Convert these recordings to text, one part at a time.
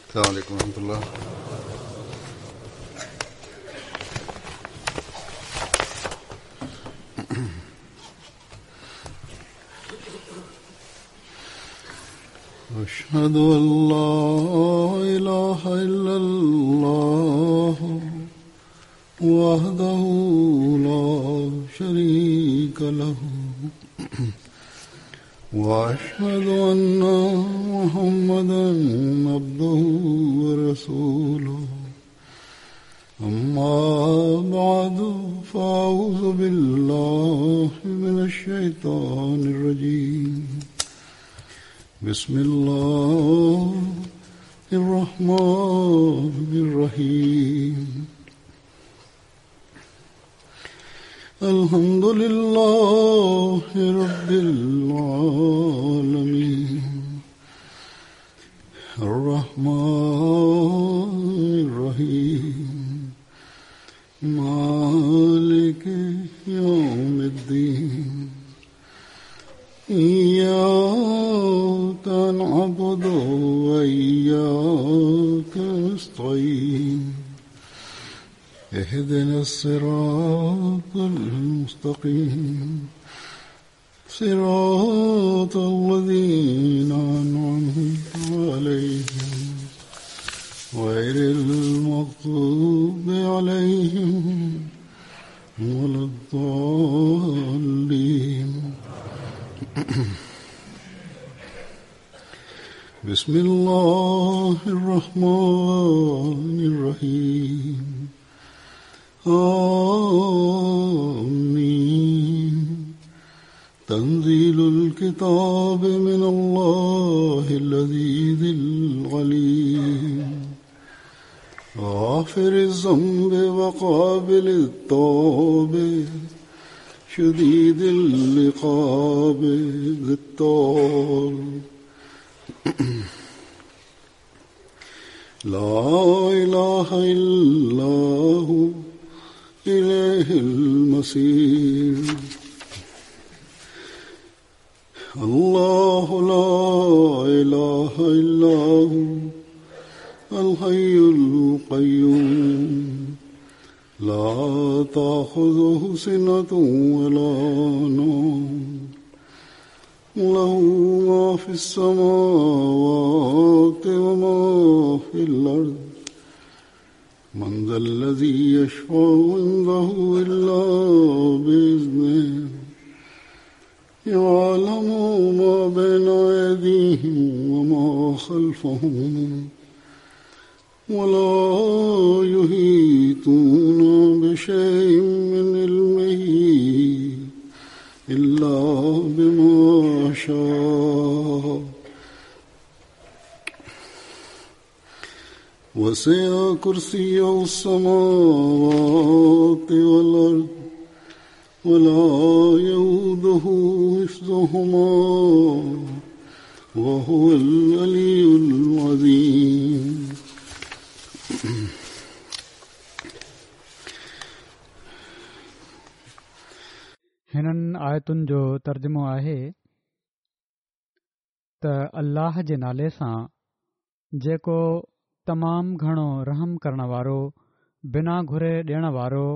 السلام عليڪم ورحمة الله. اشهد ان لا اله الا الله وحده لا شريك له واشهد ان محمدا عبده ورسوله اما بعد فاعوذ بالله من الشيطان الرجيم بسم الله الرحمن الرحيم الحمد لله رب العالمين الرحمن الرحيم مالك يوم الدين إياك نعبد وإياك نستعين اهدنا الصراط المستقيم صراط الذين أنعمت عليهم غير المغضوب عليهم ولا الضالين بسم الله الرحمن الرحيم آمين تنزيل الكتاب من الله العزيز العليم غافر الذنب وقابل التوب شديد العقاب ذي الطول لا اله الا هو اليه المصير الله لا اله الا هو الحي القيوم لا تاخذه سنه ولا نوم له ما في السماوات وما في الأرض من ذا الذي يشفع عنده إلا بإذنه يعلم ما بين أيديهم وما خلفهم ولا يحيطون بشيء من علمه إلا بما شاء وسع كرسيه السماوات والأرض ولا يؤوده حفظهما وهو العلي العظيم. هنن آيتن جو ترجمو آهي ته الله جي نالي سان جيڪو تمام گهڻو رحم ڪرڻ وارو، بنا گهري ڏيڻ وارو،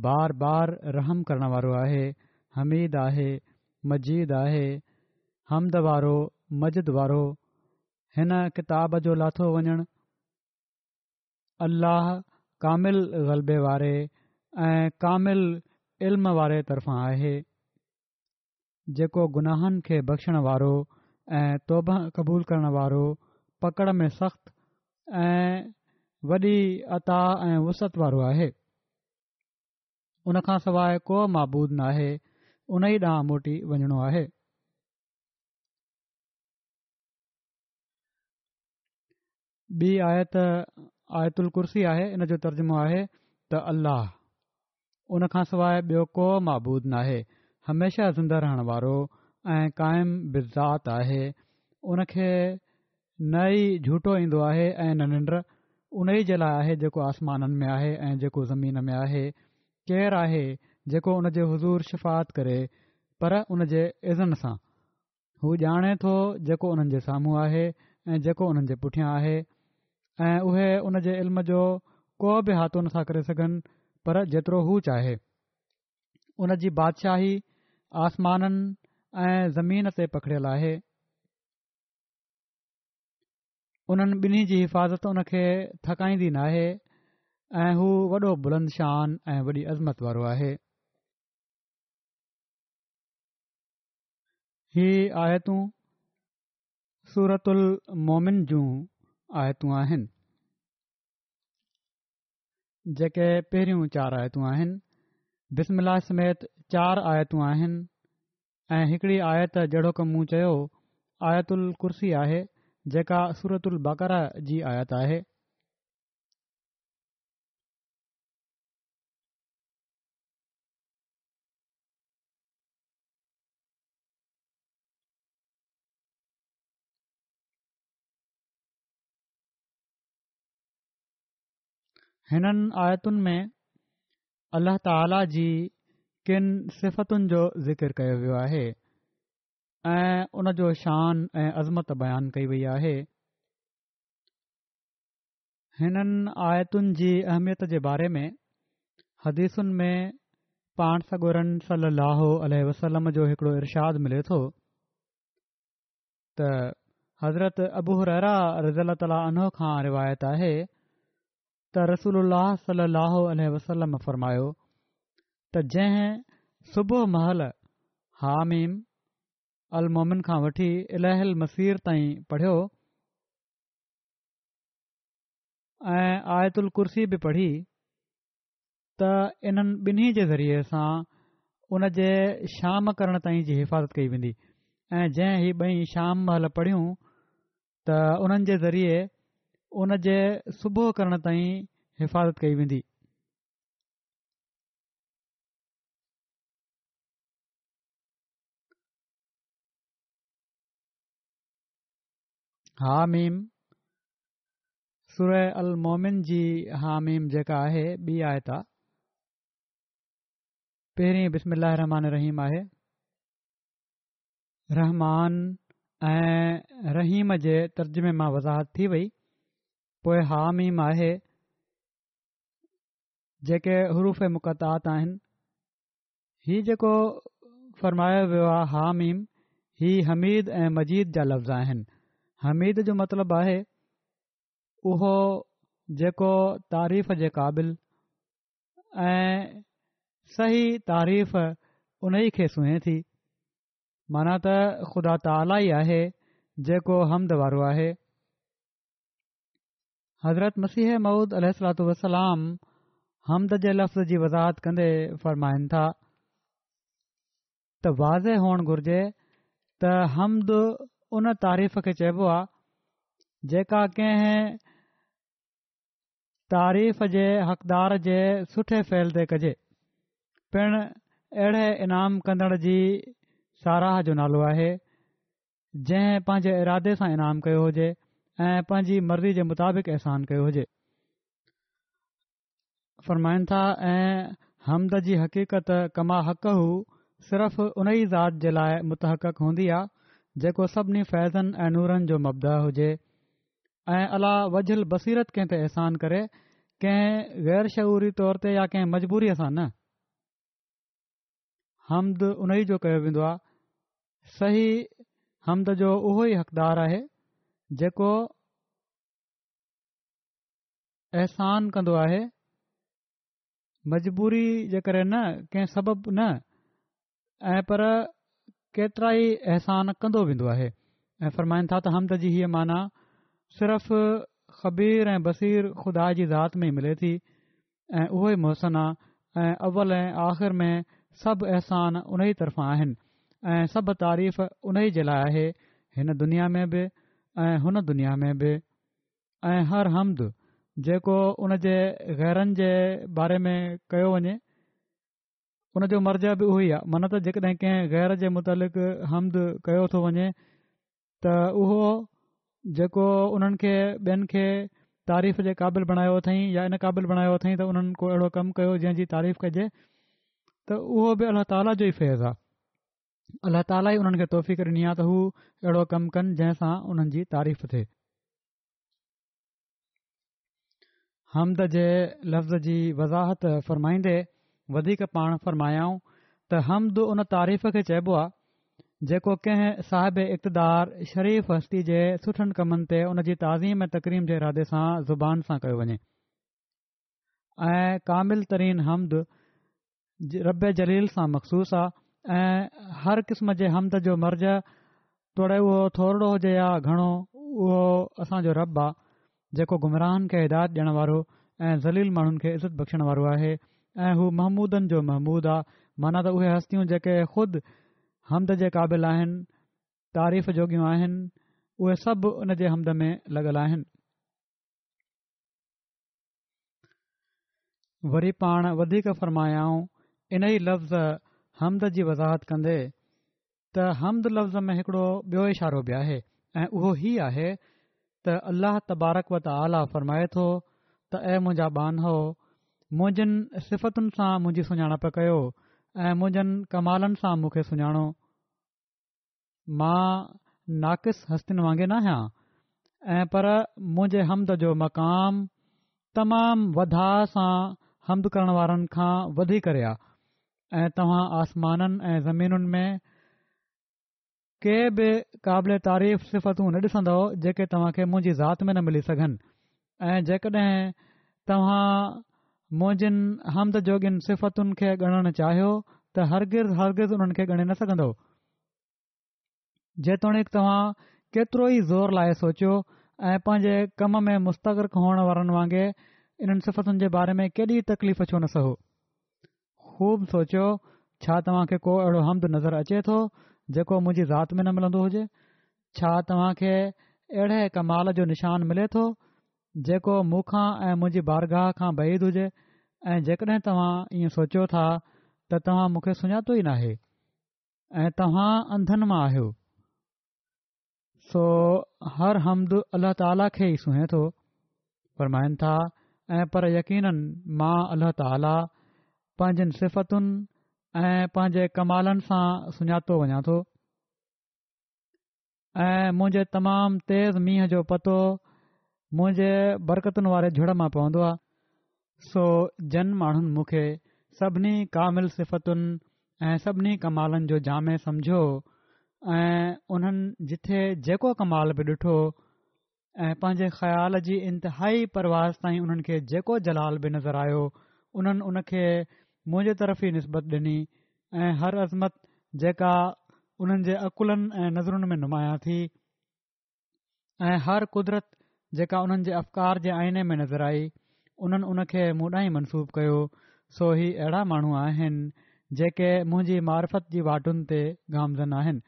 بار بار رحم ڪرڻ وارو آهي، حميد آهي، مجيد آهي، حمد وارو، مجد وارو، هن ڪتاب جو لاٿو وڃڻ، الله ڪامل غلبي واري ۽ ڪامل علم واري طرفان آهي. جيڪو گناهن کي بخشڻ وارو ۽ توبه قبول ڪرڻ وارو، پڪڙ ۾ سخت ۽ وڏي عطا ۽ وسعت وارو آهي. ان کان سواء ڪو معبود ناهي، ان ئي ڏانهن موٽي وڃڻو آهي. ٻي آيت آيت الڪرسي آهي ان جو ترجمو آهي ته الله ان کان سواء ٻيو ڪو معبود ناهي هميشه زنده رهڻ وارو ۽ قائم بالذات آهي ان کي نه ئي جهوٽو ايندو آهي ۽ نه ننڊ ان ئي جي لاء آهي جيڪو آسمانن ۾ آهي ۽ جيڪو زمين ۾ آهي ڪير آهي جيڪو ان جي حضور شفاعت ڪري پر ان جي اذن سان هو ڄاڻي ٿو جيڪو انهن جي سامهون آهي ۽ جيڪو انهن جي پٺيان آهي ۽ اهي ان جي علم جو ڪو به احاطو نٿا ڪري سگهن پر جيترو هو چاهي. ان جي بادشاهي آسمانن ۽ زمين تي پکڙيل آهي. انهن ٻنهي جي حفاظت ان کي ٿڪائيندي ناهي ۽ هو وڏو بلند شان ۽ وڏي عظمت وارو آهي. هي آيتون سورة المومن جون آيتون آهن جيڪي پهريون چار آيتون آهن بسم الله سميت چار آيتون آهن ۽ هڪڙي آيت جهڙوڪ مون چيو آيت الڪرسي آهي جيڪا سورة البقره جي آيت آهي. هنن آيتن ۾ الله تعاليٰ جي ڪن صفتن جو ذڪر ڪيو ويو آهي ۽ ان جو شان ۽ عظمت بيان ڪئي وئي آهي. هنن آيتن جي اهميت جي باري ۾ حديثن ۾ پاڻ سڳورن صلي الله عليه وسلم جو هڪڙو ارشاد ملي ٿو ته حضرت ابو هريره رضي الله تعالٰي عنه کان روايت آهي ته رسول الله صلي الله عليه وسلم فرمايو ته جنهن صبح مهل حاميم المومن کان وٺي اليه المصير تائين پڙهيو ۽ آيت الڪرسي به پڙهي ته انهن ٻنهي جي ذريعي سان ان جي شام ڪرڻ تائين جي حفاظت ڪئي ويندي ۽ جنهن هي ٻئي شام مهل پڙهيون ته انهن جي ذريعي ان جي صبح ڪرڻ تائين حفاظت ڪئي ويندي. حاميم، سوره المومن جي حاميم جيڪا آهي ٻي آيت آ. پهرين بسم الله الرحمٰن الرحيم آهي. رحمان ۽ رحيم جي ترجمي مان وضاحت ٿي وئي. پوء حاميم آهي جيڪي حروف مقطعات آهن. هي جيڪو فرمايو ويو آهي حاميم هي حميد ۽ مجيد جا لفظ آهن. حميد جو مطلب آهي اهو جيڪو تعريف جي قابل ۽ صحيح تعريف انهي کي سونهين ٿي معنيٰ ته خدا تعاليٰ ئي آهي جيڪو حمد وارو آهي. حضرت مسيح موعود عليه الصلوة والسلام حمد جي لفظ جي وضاحت ڪندي فرمائن ٿا ته واضح هئڻ گهرجي ته حمد ان تعريف کي چئبو آهي جيڪا ڪنهن تعريف جي حقدار جي سٺي فعل تي ڪجي پڻ اهڙي انعام ڪندڙ جي ساراهه جو نالو آهي جنهن پنهنجي ارادي سان انعام ڪيو هجي ۽ پنهنجي مرضي جي مطابق احسان ڪيو هجي. فرمائن ٿا ۽ حمد جي حقيقت ڪما حقه صرف ان ئي ذات جي لاء متحقق هوندي آ جيڪو سڀني فيضن ۽ نورن جو مبدا هجي ۽ عليٰ وجه البصيرت ڪنهن تي احسان ڪري ڪنهن غير شعوري طور تي يا ڪنهن مجبوريء سان نه. حمد انهي جو ڪيو ويندو آهي صحيح حمد جو اهو ئي حقدار آهي جيڪو احسان ڪندو آهي مجبوري جي ڪري نه ڪنهن سبب نه ۽ پر ڪيترا ئي احسان ڪندو ويندو آهي ۽ فرمائن ٿا ته حمد جي هيء معنيٰ صرف خبير ۽ بصير خدا جي ذات ۾ ئي ملي ٿي ۽ اهو ئي محسن آ ۽ اول ۽ آخر ۾ سڀ احسان ان ئي طرفان آهن ۽ سڀ تعريف ان ئي جي لاء آهي هن دنيا ۾ به ۽ هن دنيا ۾ به ۽ هر حمد جيڪو ان جي غيرن جي باري ۾ ڪيو وڃي ان جو مرجع به اهو ئي آهي معنيٰ ته جيڪڏهن ڪنهن غير جي متعلق حمد ڪيو ٿو وڃي ته اهو جيڪو انهن کي ٻين کي تعريف جي قابل بڻايو اٿئين يا ان قابل بڻايو اٿئين ته انهن ڪو اهڙو ڪم ڪيو جنهن جي تعريف ڪجي ته اهو به الله تعاليٰ جو ئي فيض آهي الله تعاليٰ ئي انهن کي توفيق ڏني آهي ته هو اهڙو ڪم ڪن جنهن سان انهن جي تعريف ٿئي. حمد جي لفظ جي وضاحت فرمائيندي وڌيڪ پاڻ فرمايائون ته حمد ان تعريف کي چئبو آهي جيڪو ڪنهن صاحب اقتدار شريف هستي جي سٺن ڪمن تي ان جي تعظيم ۽ تڪريم جي ارادي سان زبان سان ڪيو وڃي ۽ ڪامل ترين حمد رب جليل سان مخصوص آ ۽ هر قسم جي حمد جو مرجع توڙي اهو ٿورڙو هجي يا گهڻو اهو اسان جو رب آ جيڪو گمراهن کي هدايت ڏيڻ وارو ۽ ذليل ماڻهن کي عزت بخشڻ وارو آهي ۽ هو محمودن جو محمود آ معنيٰ ته اهي هستيون جيڪي خود حمد جي قابل آهن تعريف جوڳيون آهن اهي سڀ ان جي حمد ۾ لڳل آهن. وري پاڻ وڌيڪ فرمايائون انهي لفظ حمد جي وضاحت ڪندي ته حمد لفظ ۾ هڪڙو ٻيو اشارو به آهي ۽ اهو هي آهي ته الله تبارڪ و تعاليٰ فرمائي ٿو ته اي منهنجا ٻانهو منهنجن صفتن سان منهنجي سڃاڻپ ڪيو ۽ منهنجن ڪمالن سان مون کي سڃاڻو مان ناقص هستين وانگي ناهيان ۽ پر منهنجي حمد جو مقام تمام وڌاء سان حمد ڪرڻ وارن کان وڌي ڪري آ ۽ توهان آسمانن ۽ زمينن ۾ ڪي به قابل تعريف صفتون نه ڏسندؤ جيڪي توهان کي منهنجي ذات ۾ نه ملي سگهن ۽ جيڪڏهن توهان منهنجين حمد جوڳين صفتن کي ڳڻڻ چاهيو ته هرگز هرگز انهن کي ڳڻي نه سگهندؤ جيتوڻيڪ توهان ڪيترو ئي زور لائي سوچيو ۽ پنهنجي ڪم ۾ مستغرق هئڻ وارن وانگي انهن صفتن جي باري ۾ ڪيڏي تڪليف ڇو نه سهو. خوب سوچيو، ڇا توهان کي ڪو اهڙو حمد نظر اچي ٿو جيڪو منهنجي ذات ۾ نه ملندو هجي؟ ڇا توهان کي اهڙي ڪمال جو نشان ملي ٿو جيڪو مون کان ۽ منهنجي بارگاهه کان بعيد هجي ۽ جيڪڏهن توهان ائين سوچيو ٿا ته توهان مون کي سڃاتو ئي ناهي. ۽ توهان انڌن مان آهيو سو هر حمد الله تعاليٰ کي ئي سونهي ٿو فرمائن ٿا ۽ پر يقيناً مان الله تعاليٰ پنهنجن صفتن ۽ پنهنجي ڪمالن سان سڃاتو وڃان ٿو ۽ منهنجي تمام تيز مينهن جو پتو منهنجي برڪتن واري جهڙ مان پوندو آهي. سو جن ماڻهن مون کي سڀني ڪامل صفتن ۽ سڀني ڪمالن جو جامع سمجهيو ۽ انهن جٿي جيڪو ڪمال به ڏٺو ۽ پنهنجي خيال جي انتهائي پرواز تائين انهن کي جيڪو جلال به نظر آيو انهن ان کي منهنجي طرف ئي نسبت ڏني ۽ هر عظمت جيڪا انهن جي عقلن ۽ نظرن ۾ نمايان ٿي ۽ هر قدرت جيڪا انهن جي افڪار جي آئيني ۾ نظر آئي انهن ان کي مون ڏانهن منسوب ڪيو سو هي اهڙا ماڻهو آهن جيڪي منهنجي معرفت جي واٽن تي گامزن آهن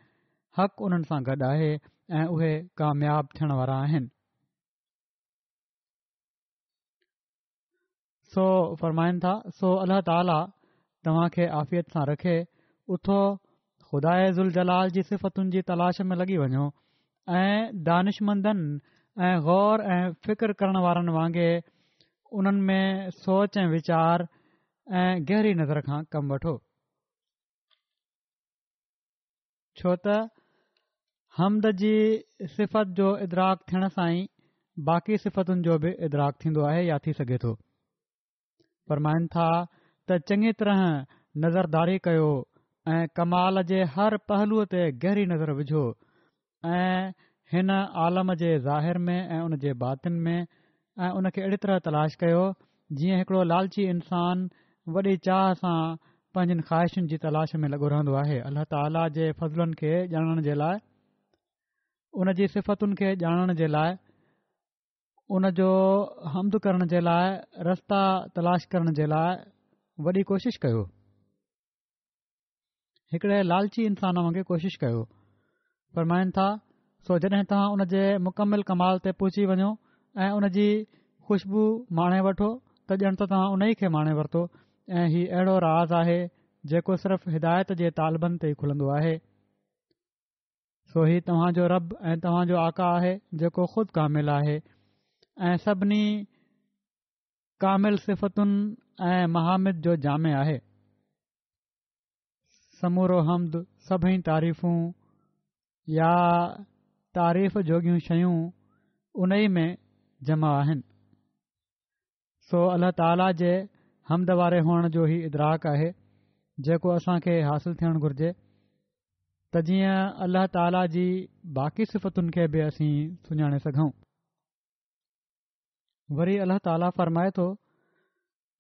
حق انهن سان گڏ آهي ۽ اهي ڪامياب ٿيڻ وارا آهن. سو فرمائن ٿا سو الله تعاليٰ توهان کي عافيت سان رکي اٿو خداء ذوالجلال جي صفتن جي تلاش ۾ لڳي وڃو ۽ دانشمندن ۽ غور ۽ فڪر ڪرڻ وارن وانگي انهن ۾ سوچ ۽ ويچار ۽ گهري نظر کان ڪم وٺو ڇو ته حمد جي صفت جو ادراڪ ٿيڻ سان ئي باقي صفتن جو به ادراڪ ٿيندو آهي يا ٿي سگهي ٿو. فرمائن ٿا ته چڱي طرح نظرداري ڪيو ۽ ڪمال جي هر پهلوء تي گهري نظر وجهو ۽ هن عالم جي ظاهر ۾ ۽ ان جي باطن ۾ ۽ ان کي اهڙي طرح تلاش ڪيو جيئن هڪڙو لالچي انسان وڏي چاهه سان پنهنجين خواهشن جي تلاش ۾ لڳو رهندو آهي الله تعاليٰ جي فضلن کي ڄاڻڻ جي لاء ان جي صفتن کي ڄاڻڻ جي لاء ان جو حمد ڪرڻ جي لاء رستا تلاش ڪرڻ جي لاء وڏي ڪوشش ڪيو هڪڙي لالچي انسان وانگي ڪوشش ڪيو فرمائن ٿا سو جڏهن توهان ان جي مڪمل ڪمال تي پهچي وڃو ۽ ان جي خوشبو ماڻي وٺو ته ڄڻ ته توهان ان ئي کي ماڻي ورتو ۽ هي اهڙو راز آهي جيڪو صرف هدايت جي طالبن تي ئي کلندو آهي سو هي توهان جو رب ۽ توهان جو آقا آهي جيڪو خود ڪامل آهي ۽ سڀني ڪامل صفتن ۽ محامد جو جامع آهي سمورو حمد، سڀئي تعريفون يا تعريف جوڳيون شيون ان ئي ۾ جمع آهن. سو الله تعاليٰ جي حمد واري هئڻ جو هي ادراڪ آهي جيڪو اسان کي حاصل ٿيڻ گهرجي ته جيئن الله تعاليٰ جي باقي صفتن کي به اسين سڃاڻي سگهون. وري الله تعاليٰ فرمائي ٿو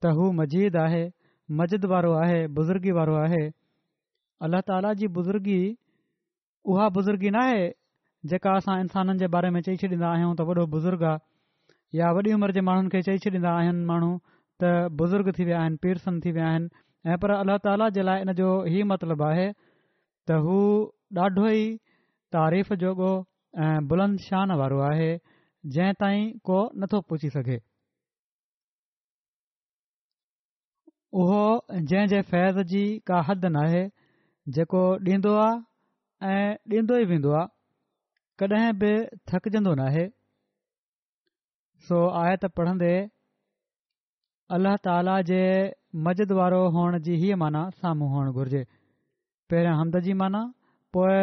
ته هو مجيد آهي، مجد وارو آهي، بزرگي وارو آهي. الله تعاليٰ جي بزرگي اها بزرگي ناهي جيڪا اسان انسانن جي باري ۾ چئي ڇڏيندا آهيون ته وڏو بزرگ آ يا وڏي عمر جي ماڻهن کي چئي ڇڏيندا آهن ماڻهو ته بزرگ ٿي ويا آهن پيرسن ٿي ويا آهن ۽ پر الله تعاليٰ جي لاء ان جو هي مطلب آهي ته هو ڏاڍو ئي تعريف جوڳو ۽ بلند شان وارو آهي جنهن تائين ڪو نٿو پهچي سگهي. اهو جنهن جي فيض جي ڪا حد ناهي، جيڪو ڏيندو آ ۽ ڏيندو ئي ويندو آ، ڪڏهن به ٿڪجندو ناهي. سو آيت پڙهندي الله تعاليٰ جي مجد وارو هئڻ جي هيء معنيٰ سامهون هئڻ گهرجي. پهريان حمد جي معنيٰ، پوء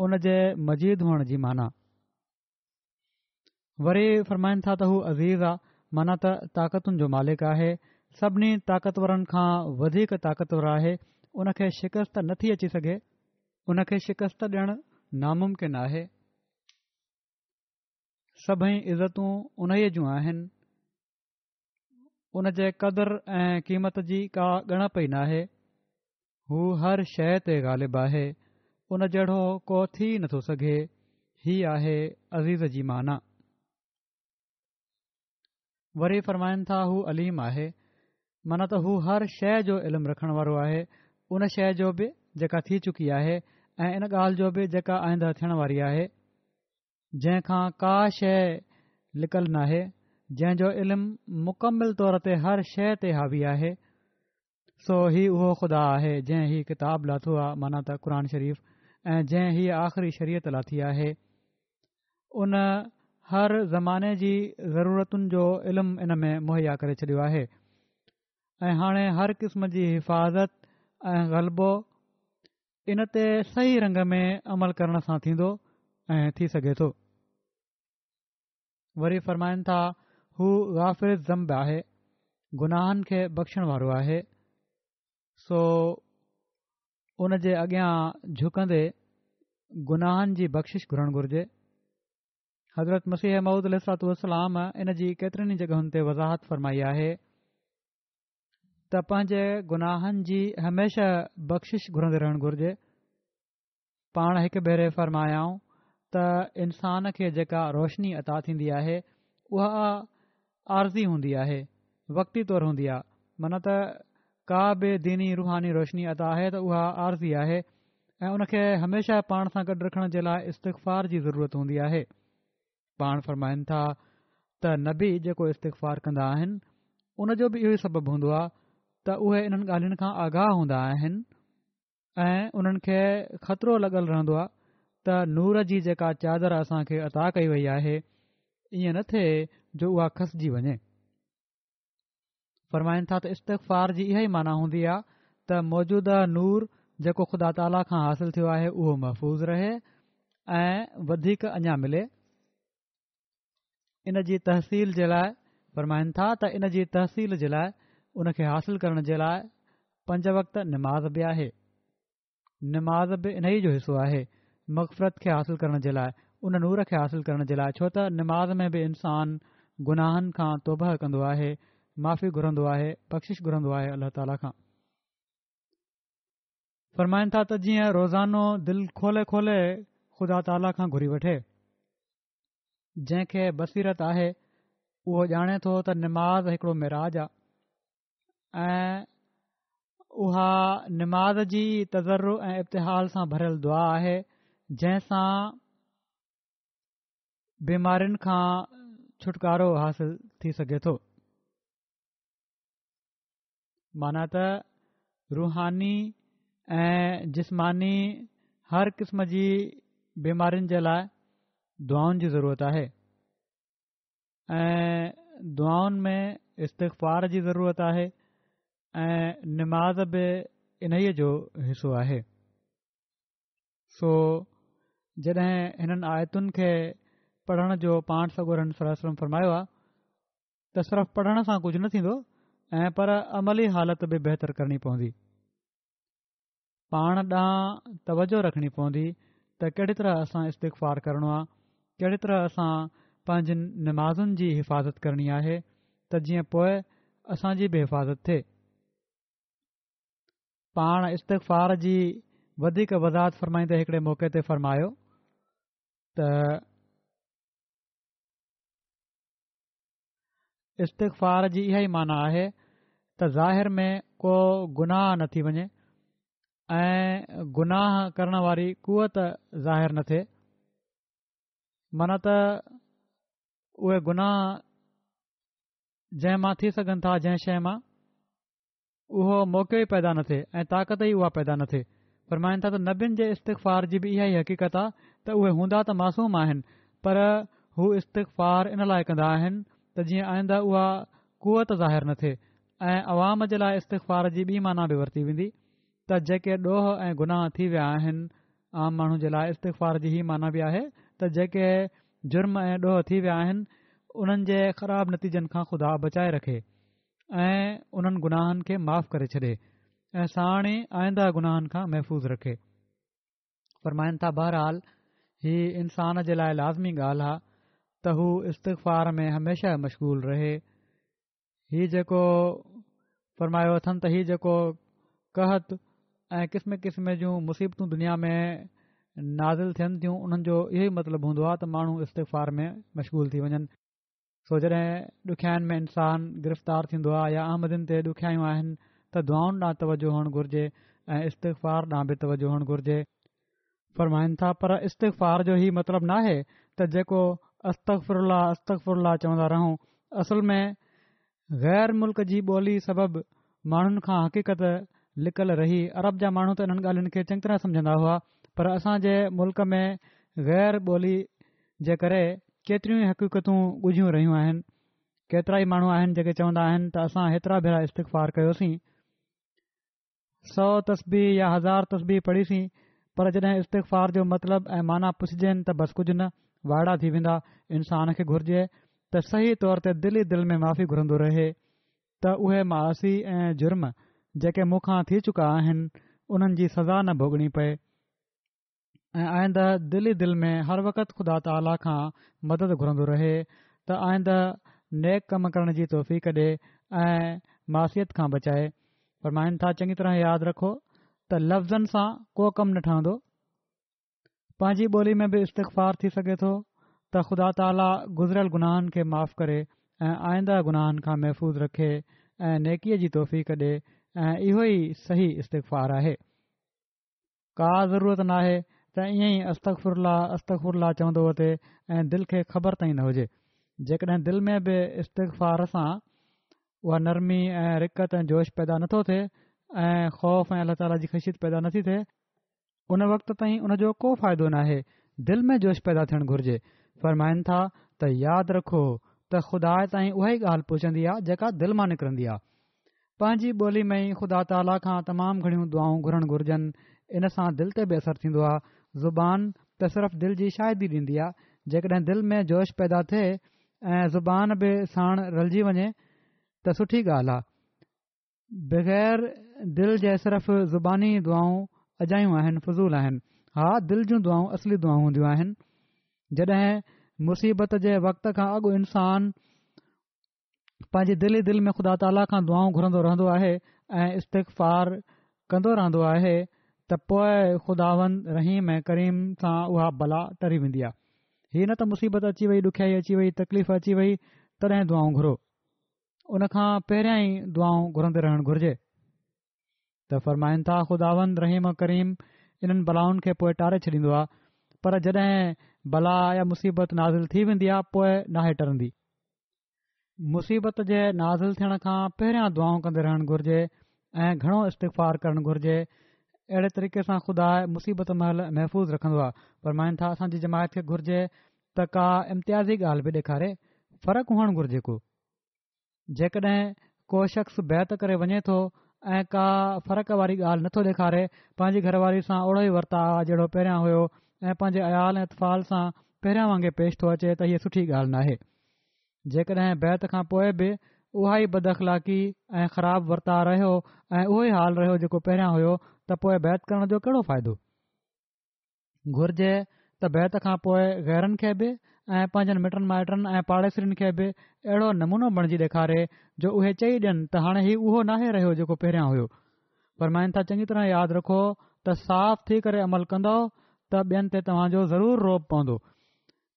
ان جي مجيد هئڻ جي معنيٰ. وري فرمائن ٿا ته هو عزيز آ معنيٰ ته طاقتن جو مالڪ آهي، سڀني طاقتورن کان وڌيڪ طاقتور آهي، ان کي شڪست نه ٿي اچي سگهي. ان کي شڪست ڏيڻ ناممڪن آهي. سڀئي عزتون انهيء جون آهن. ان جي قدر ۽ قيمت جي ڪا ڳڻپ ئي ناهي. هو هر شيء تي غالب آهي، ان جهڙو ڪو ٿي نٿو سگهي، هي آهي عزيز جي معنيٰ. وري فرمائن ٿا هو عليم آهي، معنيٰ ته هو هر شيء جو علم رکڻ وارو آهي، ان شيء جو به جيڪا ٿي چڪي آهي ۽ ان ڳالهه جو به جيڪا آئنده ٿيڻ واري آهي، جنهن کان ڪا شيء لڪل ناهي، جنهن جو علم مڪمل طور تي هر شيء تي حاوي آهي. سو هي اهو خدا آهي جنهن هي ڪتاب لاٿو آ معنيٰ ته قرآن شريف ۽ جنهن هيء آخري شريعت لاٿي آهي. ان هر زماني جي ضرورتن جو علم ان ۾ مهيا ڪري ڇڏيو آهي ۽ هاڻي هر قسم جي حفاظت ۽ غلبو ان تي صحيح رنگ ۾ عمل ڪرڻ سان ٿيندو ۽ ٿي سگهي ٿو. وري فرمائن ٿا، هو غافر الذنب آهي، گناهن کي بخشڻ وارو آهي، سو ان جي اڳيان جهڪندي گناهن جي بخشش گهرڻ گهرجي. حضرت مسيح موعود عليه الصلوة والسلام ان جي ڪيترين ئي جڳهن تي وضاحت فرمائي آهي ته پنهنجي گناهن جي هميشه بخشش گهرندي رهڻ گهرجي. پاڻ هڪ ڀيري فرمايائون ته انسان کي جيڪا روشني عطا ٿيندي آهي اها عارضي هوندي آهي، وقتي طور هوندي آهي، معنيٰ ته ڪا به ديني روحاني روشني عطا آهي ته اها عارضي آهي ۽ ان کي هميشه پاڻ سان گڏ رکڻ جي لاء استغفار جي ضرورت هوندي آهي. پاڻ فرمائن ٿا ته نبي جيڪو استغفار ڪندا آهن ان جو به اهو ئي سبب هوندو آهي ته اهي انهن ڳالهين کان آگاهه هوندا آهن ۽ انهن کي خطرو لڳل رهندو آهي ته نور جي جيڪا چادر اسان کي عطا ڪئي وئي آهي ائين نه ٿئي جو اها کسجي وڃي. فرمائن ٿا ته استغفار جي اها ئي معنيٰ هوندي آهي ته موجوده نور جيڪو خدا تعاليٰ کان حاصل ٿيو آهي اهو محفوظ رهي ۽ وڌيڪ اڃا ملي. ان جي تحصيل جي لاء فرمائن ٿا ته ان جي تحصيل جي لاء ان کي حاصل ڪرڻ جي لاء پنج وقت نماز به آهي نماز به انهي جو حصو آهي مغفرت کي حاصل ڪرڻ جي لاء ان نور کي حاصل ڪرڻ جي لاء ڇو ته نماز ۾ به انسان گناهن کان توبه ڪندو آهي معافي گهرندو آهي بخشش گهرندو آهي الله تعاليٰ کان فرمائن ٿا ته جيئن روزانو دل کولي کولي خدا تعاليٰ کان گهري وٺي جنهن کي بصيرت آهي اهو ڄاڻي ٿو ته نماز هڪڙو معراج آهي ۽ اها نماز جي تضرع ۽ ابتهال سان ڀريل دعا آهي جنهن سان بيمارين کان ڇوٽڪارو حاصل ٿي سگهي ٿو. معنيٰ ته روحاني ۽ جسماني هر قسم جي بيمارين جي لاء دعائن جي ضرورت آهي ۽ دعائن ۾ استغفار جي ضرورت آهي ۽ نماز به انهيء جو حصو آهي. سو جڏهن هنن آيتن کي پڙهڻ جو پاڻ سڳورن صلي الله عليه وسلم فرمايو آهي. ته صرف پڙهڻ سان ڪجهه نه ٿيندو ۽ پر عملي حالت به بهتر ڪرڻي پوندي. پاڻ ڏانهن توجه رکڻي پوندي ته ڪهڙي طرح اسان استغفار ڪرڻو آ، ڪهڙي طرح اسان پنهنجين نمازن جي حفاظت ڪرڻي آهي ته جيئن پوء اسان جي به حفاظت ٿئي. پاڻ استغفار جي وڌيڪ وضاحت فرمائيندي هڪڙي موقعي تي فرمايو ته استغفار جي اها ئي معنيٰ آهي ته ظاهر ۾ ڪو گناهه نه ٿي وڃي ۽ گناهه ڪرڻ واري قوت ظاهر نه ٿئي معنيٰ ته اهي گناهه جنهن مان ٿي سگهن ٿا جنهن شيء مان اهو موقعو ئي پيدا نه ٿئي ۽ طاقت ئي اها پيدا نه ٿئي. فرمائن ٿا ته نبين جي استغفار جي به اها ئي حقيقت آ ته اهي هوندا ته معصوم آهن پر هو استغفار ان لاء ڪندا آهن ته جيئن آئنده اها قوت ظاهر نه ٿئي ۽ عوام جي لاء استغفار جي ٻي معنيٰ به ورتي ويندي ته جيڪي ڏوهه ۽ گناهه ٿي ويا آهن عام ماڻهو جي لاء استغفار جي هي معنيٰ به آهي ته جيڪي جرم ۽ ڏوهه ٿي ويا آهن انهن جي خراب نتيجن کان خدا بچائي رکي. ۽ انهن گناهن کي معاف ڪري ڇڏي ۽ ساڻ ئي آئنده گناهن کان محفوظ رکي. فرمائن ٿا بهرحال هي انسان جي لاء لازمي ڳالهه آ ته هو استغفار ۾ هميشه مشغول رهي. هي جيڪو فرمايو اٿن ته هي جيڪو قحط ۽ قسم قسم جون مصيبتون دنيا ۾ نازل ٿين ٿيون انهن جو اهو ئي مطلب هوندو آ ته ماڻهو استغفار ۾ مشغول ٿي وڃن. سو جڏهن ڏکيائين ۾ انسان گرفتار ٿيندو آهي يا احمدين تي ڏکيائيون آهن ته دعائن ڏانهن توجه هئڻ گهرجي ۽ استغفار ڏانهن به توجه هئڻ گهرجي. فرمائن ٿا پر استغفار جو هي مطلب ناهي ته جيڪو استغفر الله استغفر الله چوندا رهون اصل ۾ غير ملڪ جي ٻولي سبب ماڻهن کان حقيقت لڪل رهي عرب جا ماڻهو ته انهن ڳالهين کي چڱي طرح سمجهندا هئا پر اسان جي ملڪ ۾ غير ٻولي جي ڪري ڪيتريون ئي حقيقتون ڳجهيون رهيون آهن. ڪيترائي ماڻهو آهن جيڪي چوندا آهن ته اسان هيترا ڀيرا استغفار ڪيوسين، سو تسبيح يا هزار تسبيح پڙهيسين، پر جڏهن استغفار جو مطلب ۽ معنيٰ پڇجين ته بس ڪجهه نه، وائڙا ٿي ويندا. انسان کي گهرجي ته صحيح طور تي دل ئي دل ۾ معافي گهرندو رهي ته اهي معاصي ۽ جرم جيڪي مون کان ٿي چڪا آهن، انهن جي سزا نه ڀوڳڻي پئي. ۽ آئنده دل ئي دل ۾ هر وقت خدا تعاليٰ کان مدد گهرندو رهي ته آئنده نيڪ ڪم ڪرڻ جي توفيق ڏي ۽ معصيت کان بچائي. فرمائن ٿا چڱي طرح ياد رکو ته لفظن سان ڪو ڪم نه ٺهندو. پنهنجي ٻولي ۾ به استغفار ٿي سگهي ٿو ته خدا تعاليٰ گذريل گناهن کي معاف ڪري ۽ آئنده گناهن کان محفوظ رکي ۽ نيڪيء جي توفيق ڏي ۽ اهو ئي صحيح استغفار آهي. ڪا ضرورت ناهي ته ائين ئي استغفر الله استغفر الله چوندو وتي ۽ دل کي خبر تائين نه هجي. جيڪڏهن دل ۾ به استغفار سان اها نرمي ۽ رقت ۽ جوش پيدا نٿو ٿئي ۽ خوف ۽ الله تعاليٰ جي خشيت پيدا نٿي ٿئي، ان وقت تائين ان جو ڪو فائدو ناهي، دل ۾ جوش پيدا ٿيڻ گهرجي. فرمائن ٿا ته ياد رکو ته خدا تائين اها ئي ڳالهه پهچندي آهي جيڪا دل مان نڪرندي آهي. پنهنجي ٻولي ۾ ئي خدا تعاليٰ کان تمام گهڻيون دعائون گهرڻ گهرجن، ان سان دل تي به اثر ٿيندو آهي، زبان ته صرف دل جي شاهدي ڏيندي آهي، جيڪڏهن دل ۾ جوش پيدا ٿئي ۽ زبان به ساڻ رلجي وڃي ته سٺي ڳالهه آهي، بغير دل جي صرف زباني دعائون اجايون آهن، فضول آهن، ها دل جون دعائون اصلي دعائون هونديون آهن، جڏهن مصيبت جي وقت کان اڳ انسان پنهنجي دل ئي دل ۾ خدا تعاليٰ کان دعائون گهرندو رهندو آهي ۽ استغفار ڪندو رهندو آهي ته پوء خداوند رحيم ۽ ڪريم سان اها بلا ٽري ويندي آهي. هي نه ته مصيبت اچي وئي، ڏکيائي اچي وئي، تڪليف اچي وئي تڏهن دعائون گهرو. ان کان پهريان ئي دعائون گهرندي رهڻ گهرجي. ته فرمائن ٿا خداوند رحيم و ڪريم انهن بلائن کي پوء ٽاري ڇڏيندو آهي پر جڏهن بلا يا مصيبت نازل ٿي ويندي آهي پوء ناهي ٽرندي. مصيبت جي نازل ٿيڻ کان پهريان دعائون ڪندي رهڻ گهرجي ۽ گهڻو استغفار ڪرڻ گهرجي اهڙي طريقي سان خدا مصيبت مهل محفوظ رکندو آهي فرمائن ٿا اسان جي جماعت کي گهرجي ته ڪا امتيازي ڳالهه به ڏيکاري فرق هئڻ گهرجي ڪو جيڪڏهن ڪو شخص بيعت ڪري وڃي ٿو ۽ ڪا فرق واري ڳالهه نٿو ڏيکاري پنهنجي گهر واري سان اوڙو ئي ورتاء جهڙو پهريان هيو ۽ پنهنجي عيال ۽ اطفال سان پهريان وانگي پيش ٿو اچي ته هيء سٺي ڳالهه ناهي. جيڪڏهن بيعت کان پوء به اها ئي بداخلاقي ۽ خراب ورتاء رهيو ۽ اهو ئي حال رهيو جيڪو پهريان هيو ته پوء بيعت ڪرڻ جو ڪهڙو فائدو؟ گهرجي ته بيعت کان پوء غيرن کي به ۽ پنهنجن مٽن مائٽن ۽ پاڙيسرين کي به اهڙو نمونو بڻجي ڏيکاري جو اهي چئي ڏين ته هاڻي هي اهو ناهي رهيو جيڪو پهريان هيو. فرمائن ٿا چڱي طرح ياد رکو ته صاف ٿي ڪري عمل ڪندؤ ته ٻين تي توهان جو ضرور رعب پوندو.